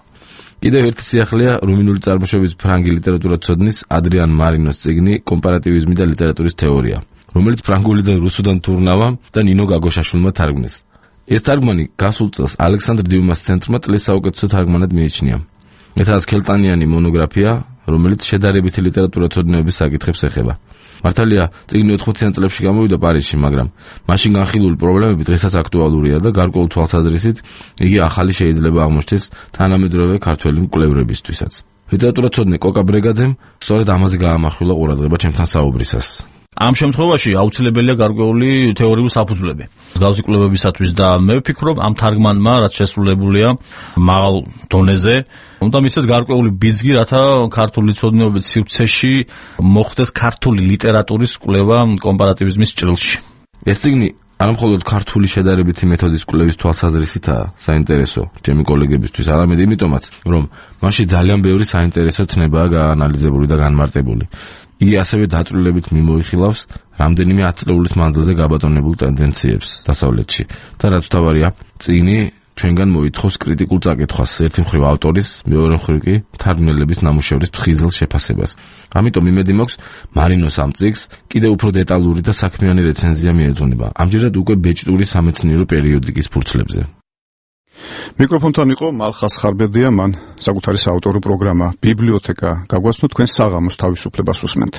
კიდევ ერთი სიახლეა რუმინული წარმოშობის ფრანგი ლიტერატურაცოდნის ადრიან მარინოს წიგნი კომპარატივიზმი და ლიტერატურის თეორია, რომელიც ფრანგულიდან რუსუდან თურნავა და ნინო გაგოშაშვილმა თარგმნეს. ეს თარგმანი გასულ წელს ალექსანდრ დიუმას ცენტრმა წლის საუკეთესო თარგმანად მიიჩნია. მეთაას ქელტანიანი მონოგრაფია, რომელიც შედარებითი ლიტერატურაცოდნეობის საკითხებს ეხება. მართალია, წიგნი 80-იან წლებში გამოვიდა პარიზში, მაგრამ მაშინ განხილული პრობლემები დღესაც აქტუალურია და გარკვეულ თვალსაზრისით იგი ახალი შეიძლება აღმოჩნდეს თანამედროვე ქართველი მკვლევრებისთვისაც. ლიტერატურაცოდნე კოკა ბრეგაძემ სწორედ ამაზე გაამახვილა ყურადღება ჩემთან საუბრისას. ამ შემთხვევაში აუცილებელია გარკვეული თეორიული საფუძვლები მსგავსი კვლევებისათვის და მე ვფიქრობ, ამ თარგმანმა, რაც შესრულებულია მაღალ დონეზე, უნდა მისცეს გარკვეული ბიძგი, რათა ქართული ცოდნეობის სივრცეში მოხდეს ქართული ლიტერატურის კვლევა კომპარატივიზმის ჭრილში. ეს წიგნი არა მხოლოდ ქართული შედარებითი მეთოდის კვლევის თვალსაზრისითაა საინტერესო ჩემი კოლეგებისთვის, არამედ იმიტომაც, რომ მასში ძალიან ბევრი საინტერესო ცნებაა გაანალიზებული და განმარტებული. იგი ასევე დაწვრილებით მიმოიხილავს რამდენიმე 10 წლეულის მანძილზე გაბატონებულ ტენდენციებს დასავლეთში და რაც თავარია, წიგნი ჩვენგან მოითხოვს კრიტიკულ წაკითხვას, ერთი მხრივ ავტორის, მეორე მხრივ კი მთარგმნელების ნამუშევრის ფხიზელ შეფასებას. ამიტომ იმედი მაქვს, მარინოს ამ წიგნს კიდევ უფრო დეტალური და საქმიანი რეცენზია მიეძღვნება, ამჯერად უკვე ბეჭდური სამეცნიერო პერიოდიკის ფურცლებზე. მიკროფონთან იყო მალხას ხარბედია, მან საკუთარი საავტორო პროგრამა ბიბლიოთეკა გაგვაცნო, თქვენ საღამოს თავისუფლებას უსმენთ.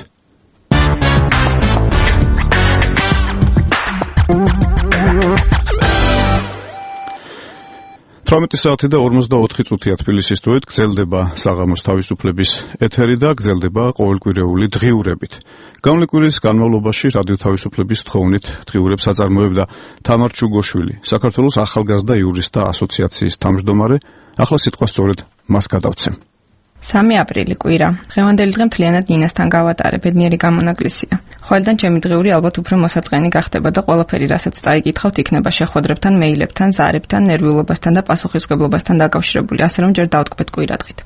18 საათი და 44 წუთია თბილისის დროით გრძელდება საღამოს თავისუფლების ეთერი და გრძელდება ყოველკვირეული დღიურებით. Გამლე კვირის განმავლობაში რადიო თავისუფლების თხოვნით დღიურებს აწარმოებდა თამარ ჩუგოშვილი, საქართველოს ახალგაზრდა იურისტთა ასოციაციის თავმჯდომარე. ახლა სიტყვა სწორედ მას გადავცემ. 3 აპრილი კვირა. დღევანდელი დღე მთლიანად ნინასთან გავატარე, ბედნიერი გამონაკლისია. ხოლიდან ჩემი დღიური ალბათ უფრო მოსაწყენი გახდება და ყველაფერი, რასაც წაიკითხავთ, იქნება შეხვედრებთან, მეილებთან, ზარებთან, ნერვიულობასთან და პასუხისმგებლობასთან დაკავშირებული, ასე რომ ჯერ დავტკბეთ კვირადღით.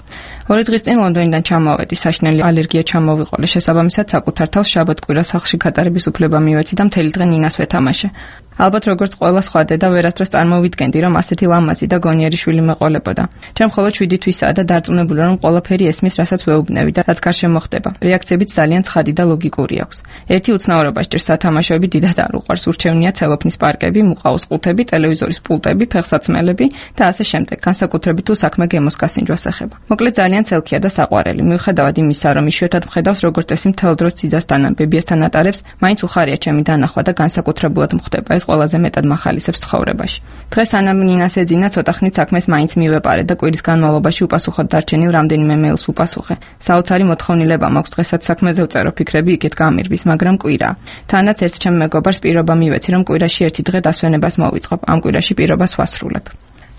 2 დღის წინ ლონდონიდან ჩამოვედი, საშინელი ალერგია ჩამოვიყოლე, შესაბამისად საკუთარ თავს შაბათ-კვირას სახლში გატარების უფლება მივეცი და მთელი დღე ნინას ვეთამაშე. ალბათ როგორც ყველა სხვა დედა ვერასდროს წარმოვიდგენდი, რომ ასეთი ლამაზი და გონიერი შვილი მეყოლებოდა. ჩემ მხოლოდ 7 თვისაა და დარწმუნებული რომ ყველაფერი ესმის, რასაც ვეუბნები და რაც გარშემო ხდება. რეაქციებიც ძალიან ცხადი და ლოგიკური აქვს. ერთი უცნაურობა სჭირს სათამაშოები დიდად არ უყვარს, ურჩევნია ცელოფნის პარკები, მუყაოს ყუთები, ტელევიზორის პულტები, ფეხსაცმელები და ასე შემდეგ. განსაკუთრებით თუ საქმე გემოს გასინჯვას ეხება. მოკლედ ძალიან ცელქია და საყვარელი. მიუხედავად იმისა, რომ იშვიათად მხედავს როგორც წესი მთელ დროს ციცასთან ან ბებიასთან ატარებს, მაინც უხარია ჩემი დანახვა და განსაკუთრებულად მხვდება ეს ყველაზე მეტად მახალისებს ცხოვრებაში. დღეს სანამ ნინას ეძინა, ცოტა ხნით საქმეს მაინც მივეპარე და კვირის განმავლობაში უპასუხოდ დარჩენილ რამდენიმე მეილს ვუპასუხე. საოცარი მოთხოვნილება მაქვს დღესაც საქმეზე ვწერო, ფიქრები იქით გამირბის, მაგრამ კვირა. თანაც ერთ ჩემ მეგობარს პირობა მივეცი, რომ კვირაში ერთი დღე დასვენებას მოვიწყობ. ამ კვირაში პირობას ვასრულებ.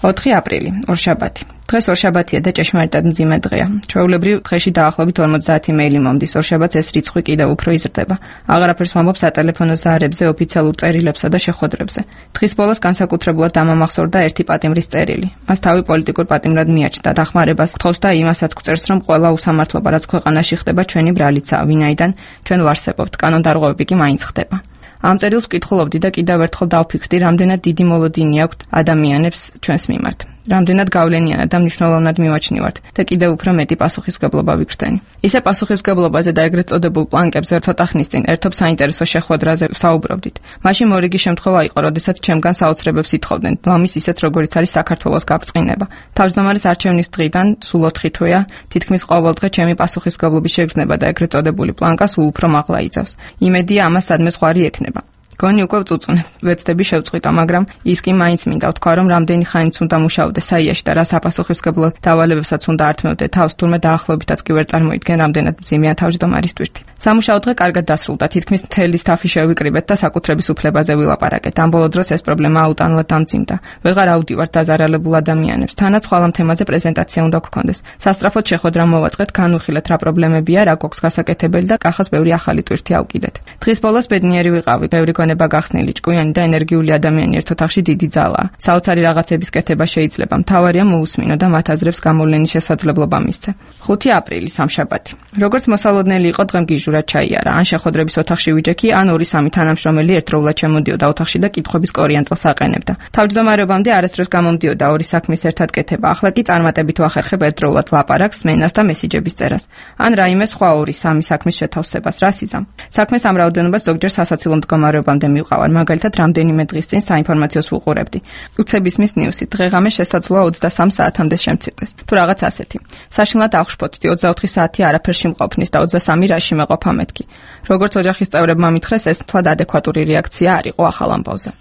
4 აპრილი, ორშაბათი. დღეს ორშაბათია და ჭეშმარიტად მძიმე დღეა. ჩვეულებრივ დღეში დაახლოებით 50 მეილი მომდის. ორშაბათს ეს რიცხვი კიდევ უფრო იზრდება. აღარაფერს ვამბობ სატელეფონო ზარებზე, ოფიციალურ წერილებსა და შეხვედრებზე. დღის ბოლოს განსაკუთრებულად დამამახსოვრდა ერთი პატიმრის წერილი. მას თავი პოლიტიკურ პატიმრად მიაჩნდა, დახმარებას გთხოვს და იმასაც გვწერს, რომ ყველა უსამართლობა, რაც ქვეყანაში ხდება, ჩვენი ბრალიცაა, ვინაიდან ჩვენ ვარსებობთ, კანონდარღვევები კი მაინც ხდება. ამ წერილს ვკითხულობდი და კიდევ ერთხელ დავფიქრდი, რამდენად დიდი მოლოდინი აქვს ადამიანებს ჩვენს მიმართ. რამდენად გავლენიანად და მნიშვნელოვნად მივაჩნივართ და კიდევ უფრო მეტი პასუხისმგებლობა ვიგრძენი. ისე პასუხისმგებლობაზე და ეგრეთ წოდებულ პლანკებზე ცოტა ხნის წინ ერთობ საინტერესო შეხვედრაზე ვსაუბრობდით. მაშინ მორიგი შემთხვევა იყო, როდესაც ჩემგან საოცრებებს ითხოვდნენ, ლამის ისეთ როგორიც არის საქართველოს გაბრწყინება. თავმჯდომარის არჩევნის დღიდან სულ 4 თვეა, თითქმის ყოველ დღე ჩემი პასუხისმგებლობის შეგრძნება და ეგრეთ წოდებული პლანკა სულ უფრო მაღლა იწევს. იმედია ამას სადმე ზღვარი ექნება. გონი უკვე ვწუწუნე, ვეცდები შევწყვიტა, მაგრამ ის კი მაინც მინდა ვთქვა, რომ რამდენი ხანიც უნდა მუშაობდე საიაში და რა საპასუხისმგებლო დავალებებსაც უნდა ართმევდე თავს, თურმე დაახლოებითაც კი ვერ წარმოიდგენ, რამდენად მძიმეა თავმჯდომარის ტვირთი. სამუშაო დღე კარგად დასრულდა, თითქმის მთელი სტაფი შევიკრიბეთ და საკუთრების უფლებაზე ვილაპარაკეთ. ამ ბოლო დროს ეს პრობლემა აუტანლად დამძიმდა. ვეღარ ავდივართ დაზარალებულ ადამიანებს. თანაც ხვალ ამ თემაზე პრეზენტაცია უნდა გქონდეს. სასწრაფოდ შეხვედრა მოვაწყეთ, განვიხილეთ რა პრობლემებია, რა გვაქვს გასაკეთებელი და კახას ბევრი ახალი ტვირთი ავკიდეთ. დღის ბოლოს ბედნიერი ვიყავი, ბევრი გონება გახსნილი, ჭკვიანი და ენერგიული ადამიანი ერთ ოთახში დიდი ძალაა. საოცარი რაღაცების კეთება შეიძლება, მთავარია მოусმინო და მათ აზრებს გამოვლენის შესაძლებლობა მისცე. 5 აპრილი, სამშაბათი. როგორც მოსალოდნელი იყო, დღემ გიჟურა ჩაიარა, ან შეხვედრების ოთახში ვიჯექი, ან 2-3 თანამშრომელი ერთდროულად შემოდიოდა ოთახში და კითხვების კორიანტელს აყენებდა. თავმჯდომარეობამდე არასდროს გამომდიოდა ორი საქმის ერთად კეთება, ახლა კი წარმატებით ვახერხებ ერთდროულად ლაპარაკს, სმენას და მესიჯების წერას. ან რაიმე სხვა 2-3 საქმის შეთავსებას, რა სიზამ. საქმეს ამ რაოდენობას ზოგჯერ სასაცილო მდგომარეობამდე მივყავარ, მაგალითად რამდენიმე დღის წინ საინფორმაციოს ვუყურებდი. უცების მის ნიუსი, დღეღამე შესაძლოა 23 საათამდე შემცირდეს. თუ რაღაც ასეთი. საშინლად აღშფოთდი, 24 საათი არაფერში მყოფნის და 23 რაში მეყოფა მეთქი. როგორც ოჯახის წევრებმა მითხრეს, ეს თვალ ადეკვატური რეაქცია არ იყო ახალ ამბავზე.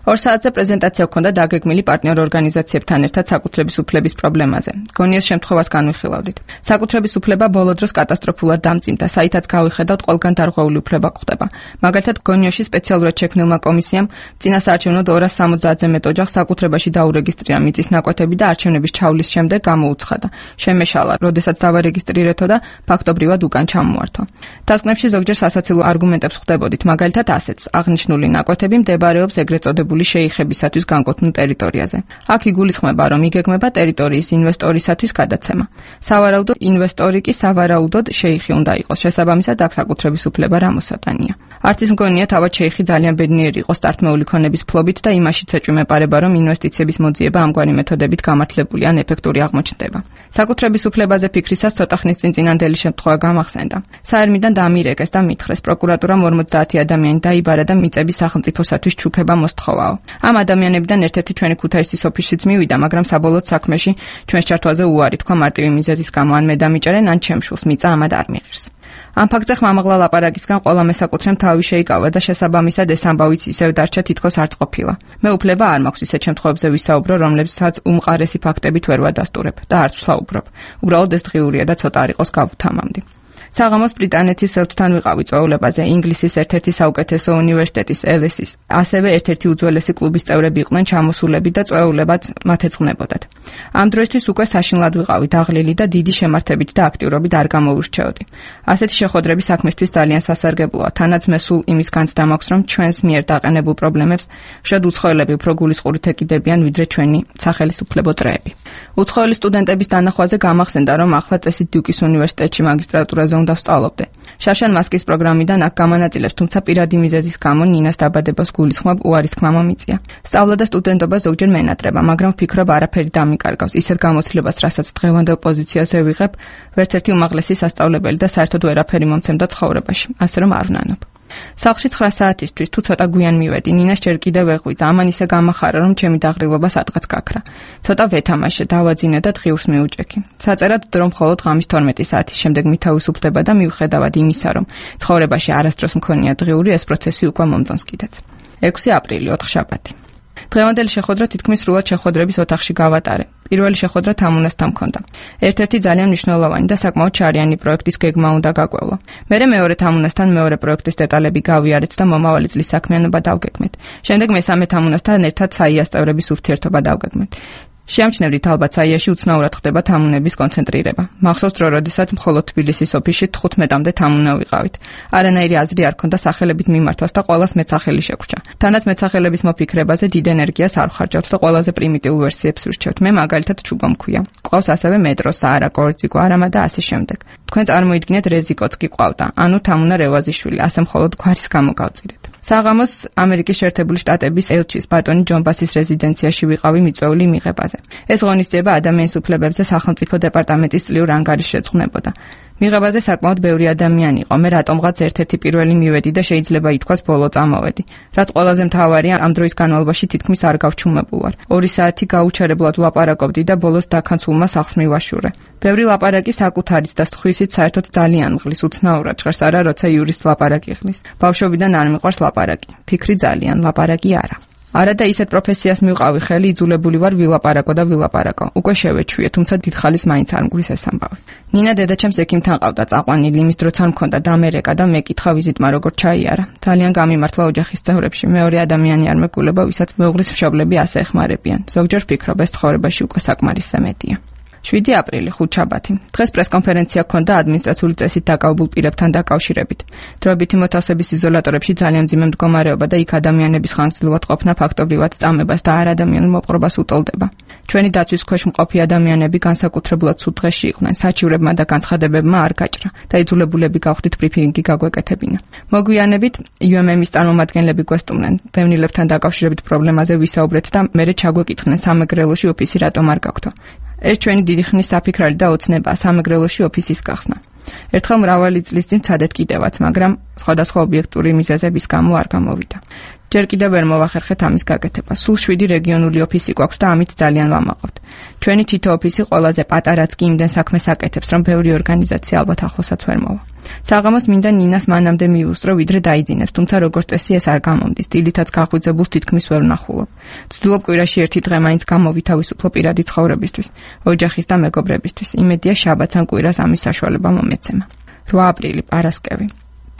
2 საათზე პრეზენტაცია ჰქონდა დაგეგმილი პარტნიორ ორგანიზაციებთან ერთად საკუთრების უფლების პრობლემაზე. გონიეს შემთხვევას განვიხილავდით. საკუთრების უფლება ბოლო დროს კატასტროფულად დამძიმდა, საითაც გავიხედავთ, ყველგან დარღვეული უფლება გვხდება. მაგალითად, გონიოში სპეციალურად შექმნილმა კომისიამ წინასაარჩევნო 270-ზე მეტ ოჯახს საკუთრებაში დაურეგისტრირა მიწის ნაკვეთები და არჩევნების ჩავლის შემდეგ გამოუცხადა. შემეშალა, როდესაც დავარეგისტრირეთო და ფაქტობრივად უკან ჩამოართვა. დასკვნებში ზოგჯერ სასაცილო არგუმენტებს ხვდებოდით, მაგალითად ასეთს: აღნიშნული ნაკვეთები მდებარეობს ეგრეთ წოდებული შეიხებისათვის განკუთვნილ ტერიტორიაზე. აქ იგულისხმება, რომ იგეგმება ტერიტორიის ინვესტორისათვის გადაცემა. სავარაუდოდ ინვესტორი კი სავარაუდოდ შეიხი უნდა იყოს. შესაბამისად, აქ საკუთრების უფლება რა მოსატანია. არც ის მგონია თავად შეიხი ძალიან ბედნიერი იყო სტარტმეული ქონების ფლობით და იმაშიც ეჭვი მეპარება, რომ ინვესტიციების მოძიება ამგვარი მეთოდებით გამართლებული ან ეფექტური აღმოჩნდება. საკუთრების უფლებაზე ფიქრისას ცოტა ხნის წინ წინანდელი შემთხვევა გამახსენდა. საერმიდან დამირეკეს და მითხრეს, პროკურატურამ 50 ადამიანი დაიბარა და მიწების სახელმწიფოსათვის ჩუქება მოსთხოვაო. ამ ადამიანებიდან ერთ-ერთი ჩვენი ქუთაისის ოფისშიც მივიდა, მაგრამ საბოლოოდ საქმეში ჩვენს ჩართვაზე უარი თქვა მარტივი მიზეზის გამო, ან მე დამიჭერენ, ან ჩემ შულს მიწა ამად არ მიღირს. ამ ფაქტზე ხმამაღლა ლაპარაკისგან ყველა მესაკუთრემ თავი შეიკავა და შესაბამისად ეს ამბავიც ისევ დარჩა თითქოს არც ყოფილა. მე უფლება არ მაქვს ისეთ შემთხვევებზე ვისაუბრო, რომლებსაც უმყარესი ფაქტებით ვერ ვადასტურებ და არც ვსაუბრობ. უბრალოდ ეს დღიურია და ცოტა არ იყოს გავუთამამდი. საღამოს ბრიტანეთის ელჩთან ვიყავი წვეულებაზე ინგლისის ერთ-ერთი საუკეთესო უნივერსიტეტის LSE-ის. ასევე ერთ-ერთი უძველესი კლუბის წევრები იყვნენ ჩამოსულები და წვეულებაც მათ ეძღვნებოდათ. ამ დროისთვის უკვე საშინლად ვიყავი დაღლილი და დიდი შემართებით და აქტიურობით არ გამოურჩეოდი. ასეთი შეხვედრები საქმისთვის ძალიან სასარგებლოა. თანაც მე სულ იმის განცდა მაქვს, რომ ჩვენს მიერ დაყენებულ პრობლემებს შედ უცხოელები უფრო გულისყურით ეკიდებიან, ვიდრე ჩვენი სახელისუფლებო წრეები. უცხოელი სტუდენტების დანახვაზე გამახსენდა, რომ ახლა წესით დიუკის უნივერსიტეტში მაგისტრატურაზე უნდა ვსწავლობდე. შაშან მასკის პროგრამიდან აქ გამანაწილებს, თუმცა პირადი მიზეზის გამო ნინას დაბადებას გულისხმობ უარის თქმა მომიწია. სწავლა და სტუდენტობა ზოგჯერ მენატრება, მაგრამ ვფიქრობ არაფერი დამიკარგავს. ისეთ გამოცდილებას, რასაც დღევანდელ პოზიციაზე ვიღებ, ვერც ერთი უმაღლესი სასწავლებელი და საერთოდ ვერაფერი მომცემდა ცხოვრებაში, ასე რომ არ ვნანობ. სახლში 9 საათისთვის თუ ცოტა გვიან მივედი, ნინას ჯერ კიდევ ეღვიძა, ამან ისე გამახარა, რომ ჩემი დაღრილობა სადღაც გაქრა. ცოტა ვეთამაშე, დავაძინე და დღიურს მიუჭექი. საწერად დრო მხოლოდ ღამის 12 საათის შემდეგ მითავისუფლდება და მივხედავად იმისა, რომ ცხოვრებაში არასდროს მქონია დღიური, ეს პროცესი უკვე მომწონს კიდეც. 6 აპრილი, 4 შაბათი. დღევანდელი შეხვედრა თითქმის სრულად შეხვედრების ოთახში გავატარე. პირველი შეხვედრა თამუნასთან მქონდა. ერთ-ერთი ძალიან მნიშვნელოვანი და საკმაოდ შარიანი პროექტის გეგმა უნდა გაგვევლა. მერე მეორე თამუნასთან მეორე პროექტის დეტალები გავიარეთ და მომავალი წლის საქმიანობა დავგეგმეთ. შემდეგ მესამე თამუნასთან ერთად საიას წევრების ურთიერთობა დავგეგმეთ. შეამჩნევდით ალბათ საიაში უცნაურად ხდება თამუნების კონცენტრირება. მახსოვს დრო, როდესაც მხოლოდ თბილისის ოფისში 15-მდე თამუნა ვიყავით. არანაირი აზრი არ ქონდა სახელებით მიმართვას და ყველას მეცახელი შეგვჭა. თანაც მეცახელების მოფიქრებაზე დიდ ენერგიას არ ვხარჯავთ და ყველაზე პრიმიტიულ ვერსიებს ვირჩევთ. მე მაგალითად ჩუბო მქვია. ყავს ასევე მეტრო, საარა, კორძიკო, არამა და ასე შემდეგ. თქვენ წარმოიდგინეთ რეზიკოც კი ყავდა, ანუ თამუნა რევაზიშვილი, ასე მხოლოდ გვარის გამო გავწირეთ. საღამოს ამერიკის შეერთებული შტატების ელჩის ბატონი ჯონ ბასის რეზიდენციაში ვიყავი მიწვეული მიღებაზე. ეს ღონისძიება ადამიანის უფლებებზე სახელმწიფო დეპარტამენტის წლიურ ანგარიშს შეძღვნებოდა. მიღებაზე საკმაოდ ბევრი ადამიანი იყო. მე რატომღაც ერთ-ერთი პირველი მივედი და შეიძლება ითქვას ბოლო წამოვედი. რაც ყველაზე მთავარია, ამ დროის განმავლობაში თითქმის არ გავჩუმებულ ვარ. 2 საათი გაუჩერებლად ვლაპარაკობდი და ბოლოს დაქანცულმა სახლს მივაშურე. ბევრი ლაპარაკი საკუთარიც და სხვისით საერთოდ ძალიან მღლის, უცნაურად ჟღერს არა, როცა იურისტს ლაპარაკი ხლის. ბავშვობიდან არ მიყვარს ლაპარაკი. ფიქრი ძალიან, ლაპარაკი არა. არა და ისეთ პროფესიას მივყავი ხელი, იძულებული ვარ ვილაპარაკო და ვილაპარაკო. უკვე შევეჩვიე, თუმცა დიდხალის მაინც არ მგვის ეს ამბავი. ნინა დედაჩემს ექიმთან ყავდა წაყვანილი, იმის დროც არ მქონდა დამერეკა და მეკითხა ვიზიტმა როგორ ჩაიარა. ძალიან გამიმართლა ოჯახის წევრებში. მეორე ადამიანი არ მეგულება, ვისაც მეუღლის მშობლები ასე ეხმარებიან. ზოგჯერ ვფიქრობ, ეს ცხოვრებაში უკვე საკმარისზე მეტია. 7 აპრილი, 5 შაბათი. დღეს პრესკონფერენცია ჰქონდა ადმინისტრაციული წესით დაკავებულ პირებთან დაკავშირებით. დროებითი მოთავსების იზოლატორებში ძალიან მძიმე მდგომარეობა და იქ ადამიანების ხანგრძლივად ყოფნა ფაქტობრივად წამებას და არ ადამიანურ მოპყრობას უტოლდება. ჩვენი დაცვის ქვეშ მყოფი ადამიანები განსაკუთრებულად სულ დღეში იყვნენ. საჩივრებმა და განცხადებებმა არ გაჭრა და იძულებულები გავხდით ბრიფინგი გაგვეკეთებინა. მოგვიანებით UMM-ის წარმომადგენლები გვესტუმნენ დევნილებთან დაკავშირებით პრობლემაზე ვისაუბრეთ და მერე ჩაგვეკითხნენ სამეგრელოში ოფისი რატომ არ გაქვთ. ეს ჩვენი დიდი ხნის საფიქრალი და ოცნებაა სამეგრელოში ოფისის გახსნა. ერთხელ მრავალი წლის წინ ვცადეთ კიდევაც, მაგრამ სხვადასხვა ობიექტური მიზეზების გამო არ გამოვიდა. ჯერ კიდევ ვერ მოვახერხეთ ამის გაკეთება. სულ 7 რეგიონული ოფისი გვაქვს და ამით ძალიან ვამაყობთ. ჩვენი თითო ოფისი ყველაზე პატარაც კი იმდენ საქმეს აკეთებს, რომ ბევრი ორგანიზაცია ალბათ ახლოსაც ვერ მოვა. საღამოს მინდა ნინას მანამდე მიუსწრო, ვიდრე დაიძინებს, თუმცა როგორც წესი ეს არ გამომდის. დილითაც გაღვიძებულს თითქმის ვერ ვნახულობ. ვცდილობ კვირაში ერთი დღე მაინც გამოვითავისუფლო პირადი ცხოვრებისთვის, ოჯახის და მეგობრებისთვის. იმედია შაბათს ან კვირას ამის საშუალება მომეცემა. 8 აპრილი, პარასკევი.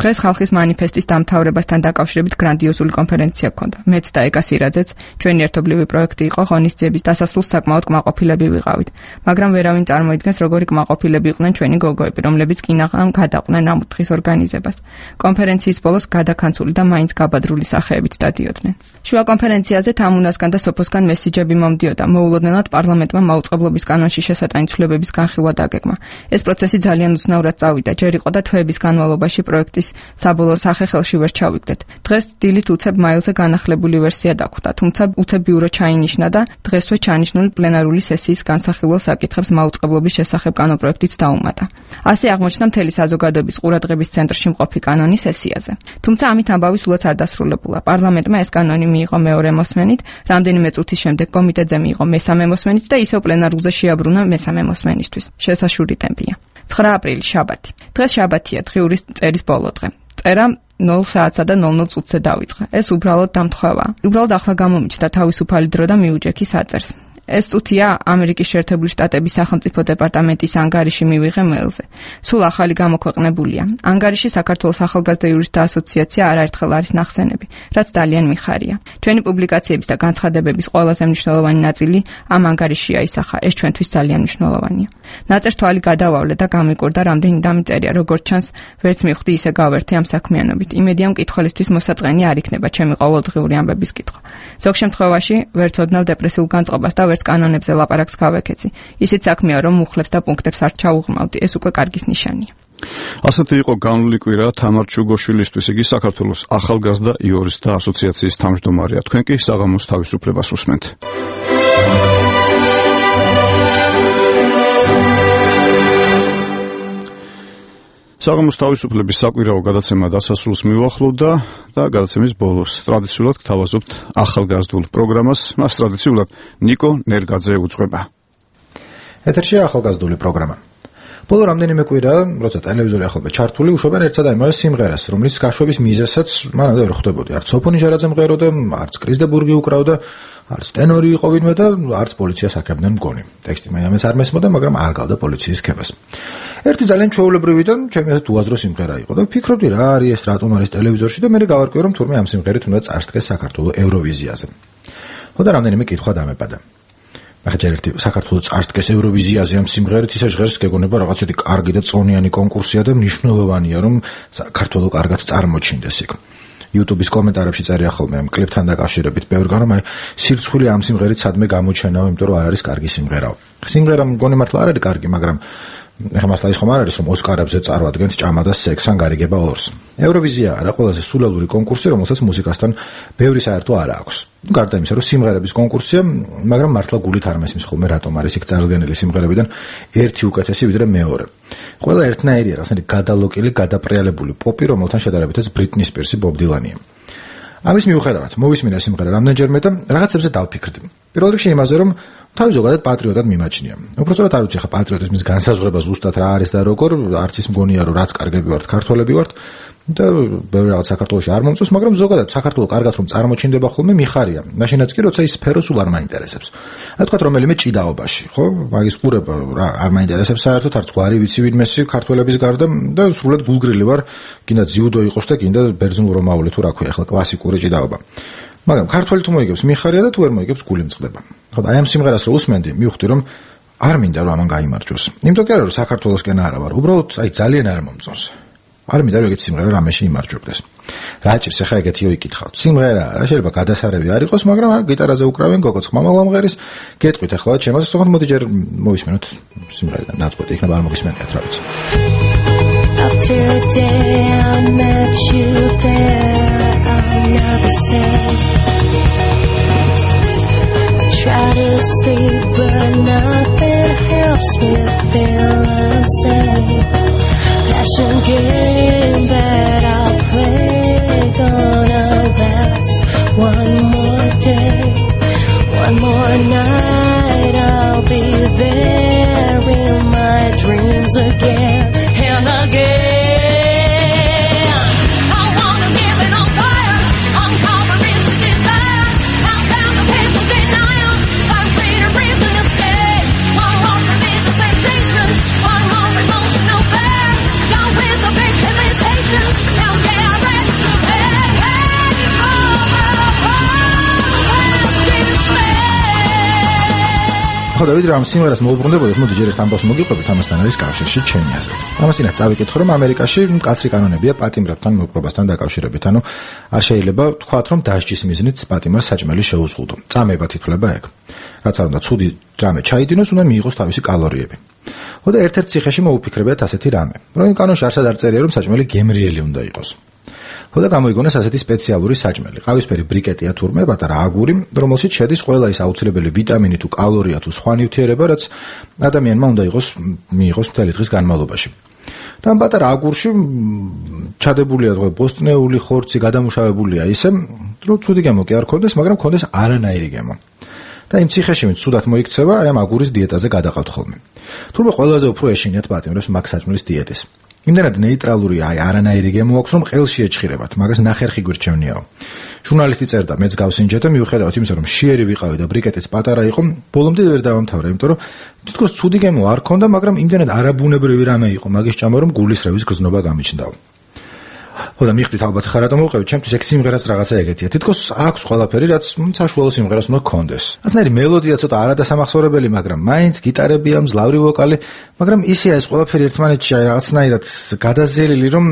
დღეს ხალხის მანიფესტის დამთავრებასთან დაკავშირებით გრანდიოზული კონფერენცია ჰქონდა. მეც და ეკა სირაძეც, ჩვენი ერთობლივი პროექტი იყო, ღონისძიების დასასრულს საკმაოდ კმაყოფილები ვიყავით. მაგრამ ვერავინ წარმოიდგენს, როგორი კმაყოფილები იყვნენ ჩვენი გოგოები, რომლებიც კინაღამ გადაყვნენ ამ დღის ორგანიზებას. კონფერენციის ბოლოს გადაკანცული და მაინც გაბადრული სახეებით დადიოდნენ. შუა კონფერენციაზე თამუნასგან და სოფოსგან მესიჯები მომდიოდა. მოულოდნელად პარლამენტმა მაუწყებლობის კანონში შესატანი ცვლილებების განხილვა დაგეგმა. ეს პროცესი ძალიან უცნაურად წავიდა. ჯერ იყო და თვეების განმავლობაში პროექტის საბოლოო სახე ხელში ვერ ჩავიგდეთ. დღეს დილით უცებ მაილზე განახლებული ვერსია დაგვხვდა, თუმცა უცებ ბიურო ჩაინიშნა და დღესვე ჩანიშნული პლენარული სესიის განსახილველ საკითხებს მაუწყებლობის შესახებ კანონპროექტიც დაუმატა. ასე აღმოჩნდა მთელი საზოგადოების ყურადღების ცენტრში მყოფი კანონი სესიაზე. თუმცა ამით ამბავი სულაც არ დასრულებულა. პარლამენტმა ეს კანონი მიიღო მეორე მოსმენით, რამდენიმე წუთის შემდეგ კომიტეტზე მიიღო მესამე მოსმენით და ისევ პლენარულზე შეაბრუნა მესამე მოსმენისთვის. შესაშური ტემპია. 9 აპრილი შაბათი. დღეს შაბათია, დღიური წერის ბოლო დღე. წერა 0 საათსა და 00 წუთზე დავიწყე. ეს უბრალოდ დამთხვევაა. უბრალოდ ახლა გამომიჩნდა თავისუფალი დრო და მიუჯექი საწერს. ეს წუთია ამერიკის შეერთებული შტატების სახელმწიფო დეპარტამენტის ანგარიში მივიღე მეილზე. სულ ახალი გამოქვეყნებულია. ანგარიში საქართველოს ახალგაზრდა იურისტთა ასოციაცია არაერთხელ არის ნახსენები, რაც ძალიან მიხარია. ჩვენი პუბლიკაციების და განცხადებების ყველაზე მნიშვნელოვანი ნაწილი ამ ანგარიშია ისახა. ეს ჩვენთვის ძალიან მნიშვნელოვანია. ნაწერ თვალი გადავავლე და გამიკვირდა რამდენი დამიწერია, როგორც ჩანს, ვერც მივხვდი ისე გავერთე ამ საქმიანობით. იმედია მკითხველისთვის მოსაწყენი არ იქნება ჩემი ყოველდღიური ამბების კითხვა. ზოგ შემთხვევაში ვერც ოდნავ დეპრესიულ განწყობას და ვერც კანონებზე ლაპარაკს გავეკეცი. ისიც საქმეა, რომ მუხლებს და პუნქტებს არ ჩაუღრმავდი, ეს უკვე კარგის ნიშანია. ასეთი იყო განვლილი კვირა თამარ ჩუგოშვილისთვის, იგი საქართველოს ახალგაზრდა იურისტთა ასოციაციის თავმჯდომარეა. თქვენ კი საღამოს თავისუფლებას უსმენთ. საღამოს თავისუფლების საკვირაო გადაცემა დასასრულს მიუახლოვდა და გადაცემის ბოლოს ტრადიციულად გთავაზობთ ახალგაზრდულ პროგრამას. მას ტრადიციულად ნიკო ნერგაძე უძღვება. ეთერშია ახალგაზრდული პროგრამა. ბოლო რამდენიმე კვირა, როცა ტელევიზორი ახლობა ჩართული, უშვებენ ერთსა და იმავე სიმღერას, რომლის გაშვების მიზეზსაც მანამდე ვერ ხვდებოდი. არც სოფონი ჟარაძე მღეროდა, არც კრისდებურგი უკრავდა, არც ტენორი იყო ვინმე და არც პოლიციას აქებდნენ მგონი. ტექსტი მაინც არ მესმოდა, მაგრამ არ გავდა პოლიციის ქებას. ერთი ძალიან ჩვეულებრივი და ჩემი აზრით უაზრო სიმღერა იყო და ვფიქრობდი რა არის ეს, რატომ არის ტელევიზორში და მე გავარკვიე რომ თურმე ამ სიმღერით უნდა წარსდგეს საქართველოს ევროვიზიაზე. ხოდა რამდენიმე კითხვა დამეპადა. ახლა ერთი საქართველოს წარსდგეს ევროვიზიაზე ამ სიმღერით ისე ჟღერს გეგონება რაღაცეთი კარგი და წონიანი კონკურსია და მნიშვნელოვანია რომ საქართველოს კარგად წარმოჩინდეს იქ. YouTube-ის კომენტარებში წერია ხოლმე ამ კლიპთან დაკავშირებით ბევრგან რომ აი სირცხვილი ამ სიმღერით სადმე გამოჩენაო, იმიტომ რომ არ არის კარგი სიმღერაო. სიმღერა მგონი მართლა არ არის კარგი, მაგრამ ეხლა მასლა ის ხომ არ არის რომ ოსკარებზე წარვადგენთ ჭამა და სექს ან გარიგება ორს. ევროვიზია არა ყველაზე სულელური კონკურსი, რომელსაც მუსიკასთან ბევრი საერთო არ აქვს. გარდა იმისა, რომ სიმღერების კონკურსია, მაგრამ მართლა გულით არ მესმის ხოლმე რატომ არის იქ წარდგენილი სიმღერებიდან ერთი უკეთესი ვიდრე მეორე. ყველა ერთნაირია, რაღაცნაირი გადალოკილი, გადაპრიალებული პოპი, რომელთან შედარებითაც ბრიტნი სპირსი, ბობ დილანია. ამის მიუხედავად, მოვისმინე სიმღერა რამდენჯერმე და რაღაცებზე დავფიქრდი. პირველ რიგში იმაზე, რომ თავი ზოგადად პატრიოტად მიმაჩნია. უпростоრად არ ვიცი ხა პატრიოტიზმის განსაზღვრება ზუსტად რა არის და როგორ, არც ის მგონია რომ რაც კარგები ვართ, ქართველები ვართ და ბევრი რაღაც საქართველოში არ მომწონს, მაგრამ ზოგადად საქართველოს კარგად რომ წარმოჩინდება ხოლმე მიხარია. მაშინაც კი როცა ის სფერო სულ არ მაინტერესებს. რა თქვა რომელიმე ჭიდაობაში, ხო? მაგის ყურება რა არ მაინტერესებს საერთოდ, არც გვარი ვიცი ვინმესი ქართველების გარდა და სრულად გულგრილი ვარ, კიდე ძიუდო იყოს და კიდე ბერძნულ-რომაული თუ რა ქვია, ახლა კლასიკური ჭიდაობა. მაგრამ ქართველი თუ მოიგებს მიხარია და თუ ვერ მოიგებს გული მწყდება. ხო, აი ამ სიმღერას რო უსმენდი, მივხვდი რომ არ მინდა რომ ამან გაიმარჯვოს. იმიტომ კი არა რომ საქართველოსკენ არა ვარ, უბრალოდ აი ძალიან არ მომწონს. არ მინდა რომ ეგეთი სიმღერა რამეში იმარჯვებდეს. რა ჭირს ახლა ეგეთიო იკითხავთ. სიმღერა არა, შეიძლება გადასარევი არ იყოს, მაგრამ გიტარაზე უკრავენ გოგოც ხმამალ ამღერის. გეტყვით ახლა ჩემას, თქო მოდი ჯერ მოვისმენოთ სიმღერიდან ნაწყვეტი, იქნება არ მოგისმენიათ რა ვიცი. After a day I met you there, I'll never say. I try to sleep but nothing helps me feel unsafe. Passion game that I'll play gonna last one more day, one more night. I'll be there in my dreams again and again. ხო დავით რა ამ სიმღერას მოუბრუნდებოდეთ, მოდი ჯერ ერთ ამბავს მოგიყვებით, ამასთან არის კავშირში ჩემი აზრით. ამასინაც წავიკითხო რომ ამერიკაში მკაცრი კანონებია პატიმრებთან მოპყრობასთან დაკავშირებით, ანუ არ შეიძლება თქვათ რომ დასჯის მიზნით პატიმარს საჭმელი შეუზღუდო. წამება თითქვლება ეგ. რაც არ უნდა ცუდი რამე ჩაიდინოს, უნდა მიიღოს თავისი კალორიები. ხო და ერთ-ერთ ციხეში მოუფიქრებიათ ასეთი რამე, რომ კანონში არსად არ წერია რომ საჭმელი გემრიელი უნდა იყოს. ხო და გამოიგონეს ასეთი სპეციალური საჭმელი, ყავისფერი ბრიკეტია თურმე, პატარა აგური, რომელშიც შედის ყველა ის აუცილებელი ვიტამინი თუ კალორია თუ სხვა ნივთიერება, რაც ადამიანმა უნდა მიიღოს მთელი დღის განმავლობაში. და ამ პატარა აგურში ჩადებულია თქვა ბოსტნეული ხორცი, გადამუშავებულია ისე, რომ ცუდი გემო კი არ ქონდეს, მაგრამ ქონდეს არანაირი გემო. და იმ ციხეში ვინც ცუდად მოიქცევა, აი ამ აგურის დიეტაზე გადაყავთ ხოლმე. თურმე ყველაზე უფრო ეშინიათ პატიმრებს მაგ საჭმლის დიეტის. იმდენად ნეიტრალური არანაირი გემო აქვს, რომ ყელში ეჩხირებათ, მაგას ნახერხი გვირჩევნიაო. ჟურნალისტი წერდა, მეც გავსინჯეთ და მიუხედავად იმისა, რომ შიერი ვიყავი და ბრიკეტიც პატარა იყო, ბოლომდე ვერ დავამთავრე, იმიტომ რომ თითქოს ცუდი გემო არ ქონდა, მაგრამ იმდენად არაბუნებრივი რამე იყო მაგის ჭამა, რომ გულისრევის გრძნობა გამიჩნდაო. ხოდა მიხვდით ალბათ ხარ რატომ მოვყევი, ჩემთვის ეგ სიმღერას რაღაცა ეგეთია. თითქოს აქვს ყველაფერი, რაც საშუალო სიმღერას უნდა გქონდეს. ასნაირი მელოდია ცოტა არადასამახსოვრებელი, მაგრამ მაინც გიტარებია, მძლავრი ვოკალი, მაგრამ ისეა ეს ყველაფერი ერთმანეთში რაღაცნაირად გადაზელილი, რომ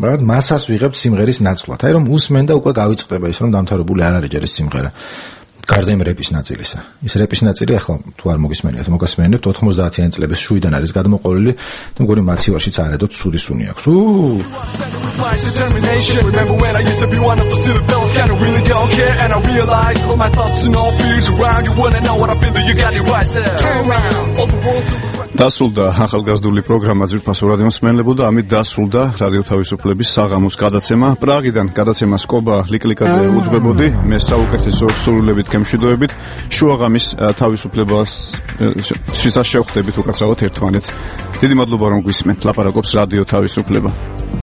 რაღაც მასას ვიღებთ სიმღერის ნაცვლად. აი რომ უსმენ და უკვე გავიწყდება ის, რომ დამთავრებული არ არის ჯერ ეს სიმღერა. გარდა იმ რეპის ნაწილისა. ის რეპის ნაწილი ახლა თუ არ მოგისმენიათ, მოგასმენებთ 90-იანი წლების შუიდან არის გადმოყოლილი და მგონი მაცივარშიც არედოთ ცუდი სუნი აქვს. დასრულდა ახალგაზრდული პროგრამა ძვირფასო რადიოს მსმენელებო და ამით დასრულდა რადიო თავისუფლების საღამოს გადაცემა. პრაღიდან გადაცემას კობა ლიკლიკაძე უძღვებოდი, მე საუკეთესო სრულებით გემშვიდობებით, შუაღამის თავისუფლებას შესაშვევხდებით უკაცრავად ერთმანეთს. დიდი მადლობა რომ გვისმენთ, ლაპარაკობს რადიო თავისუფლება.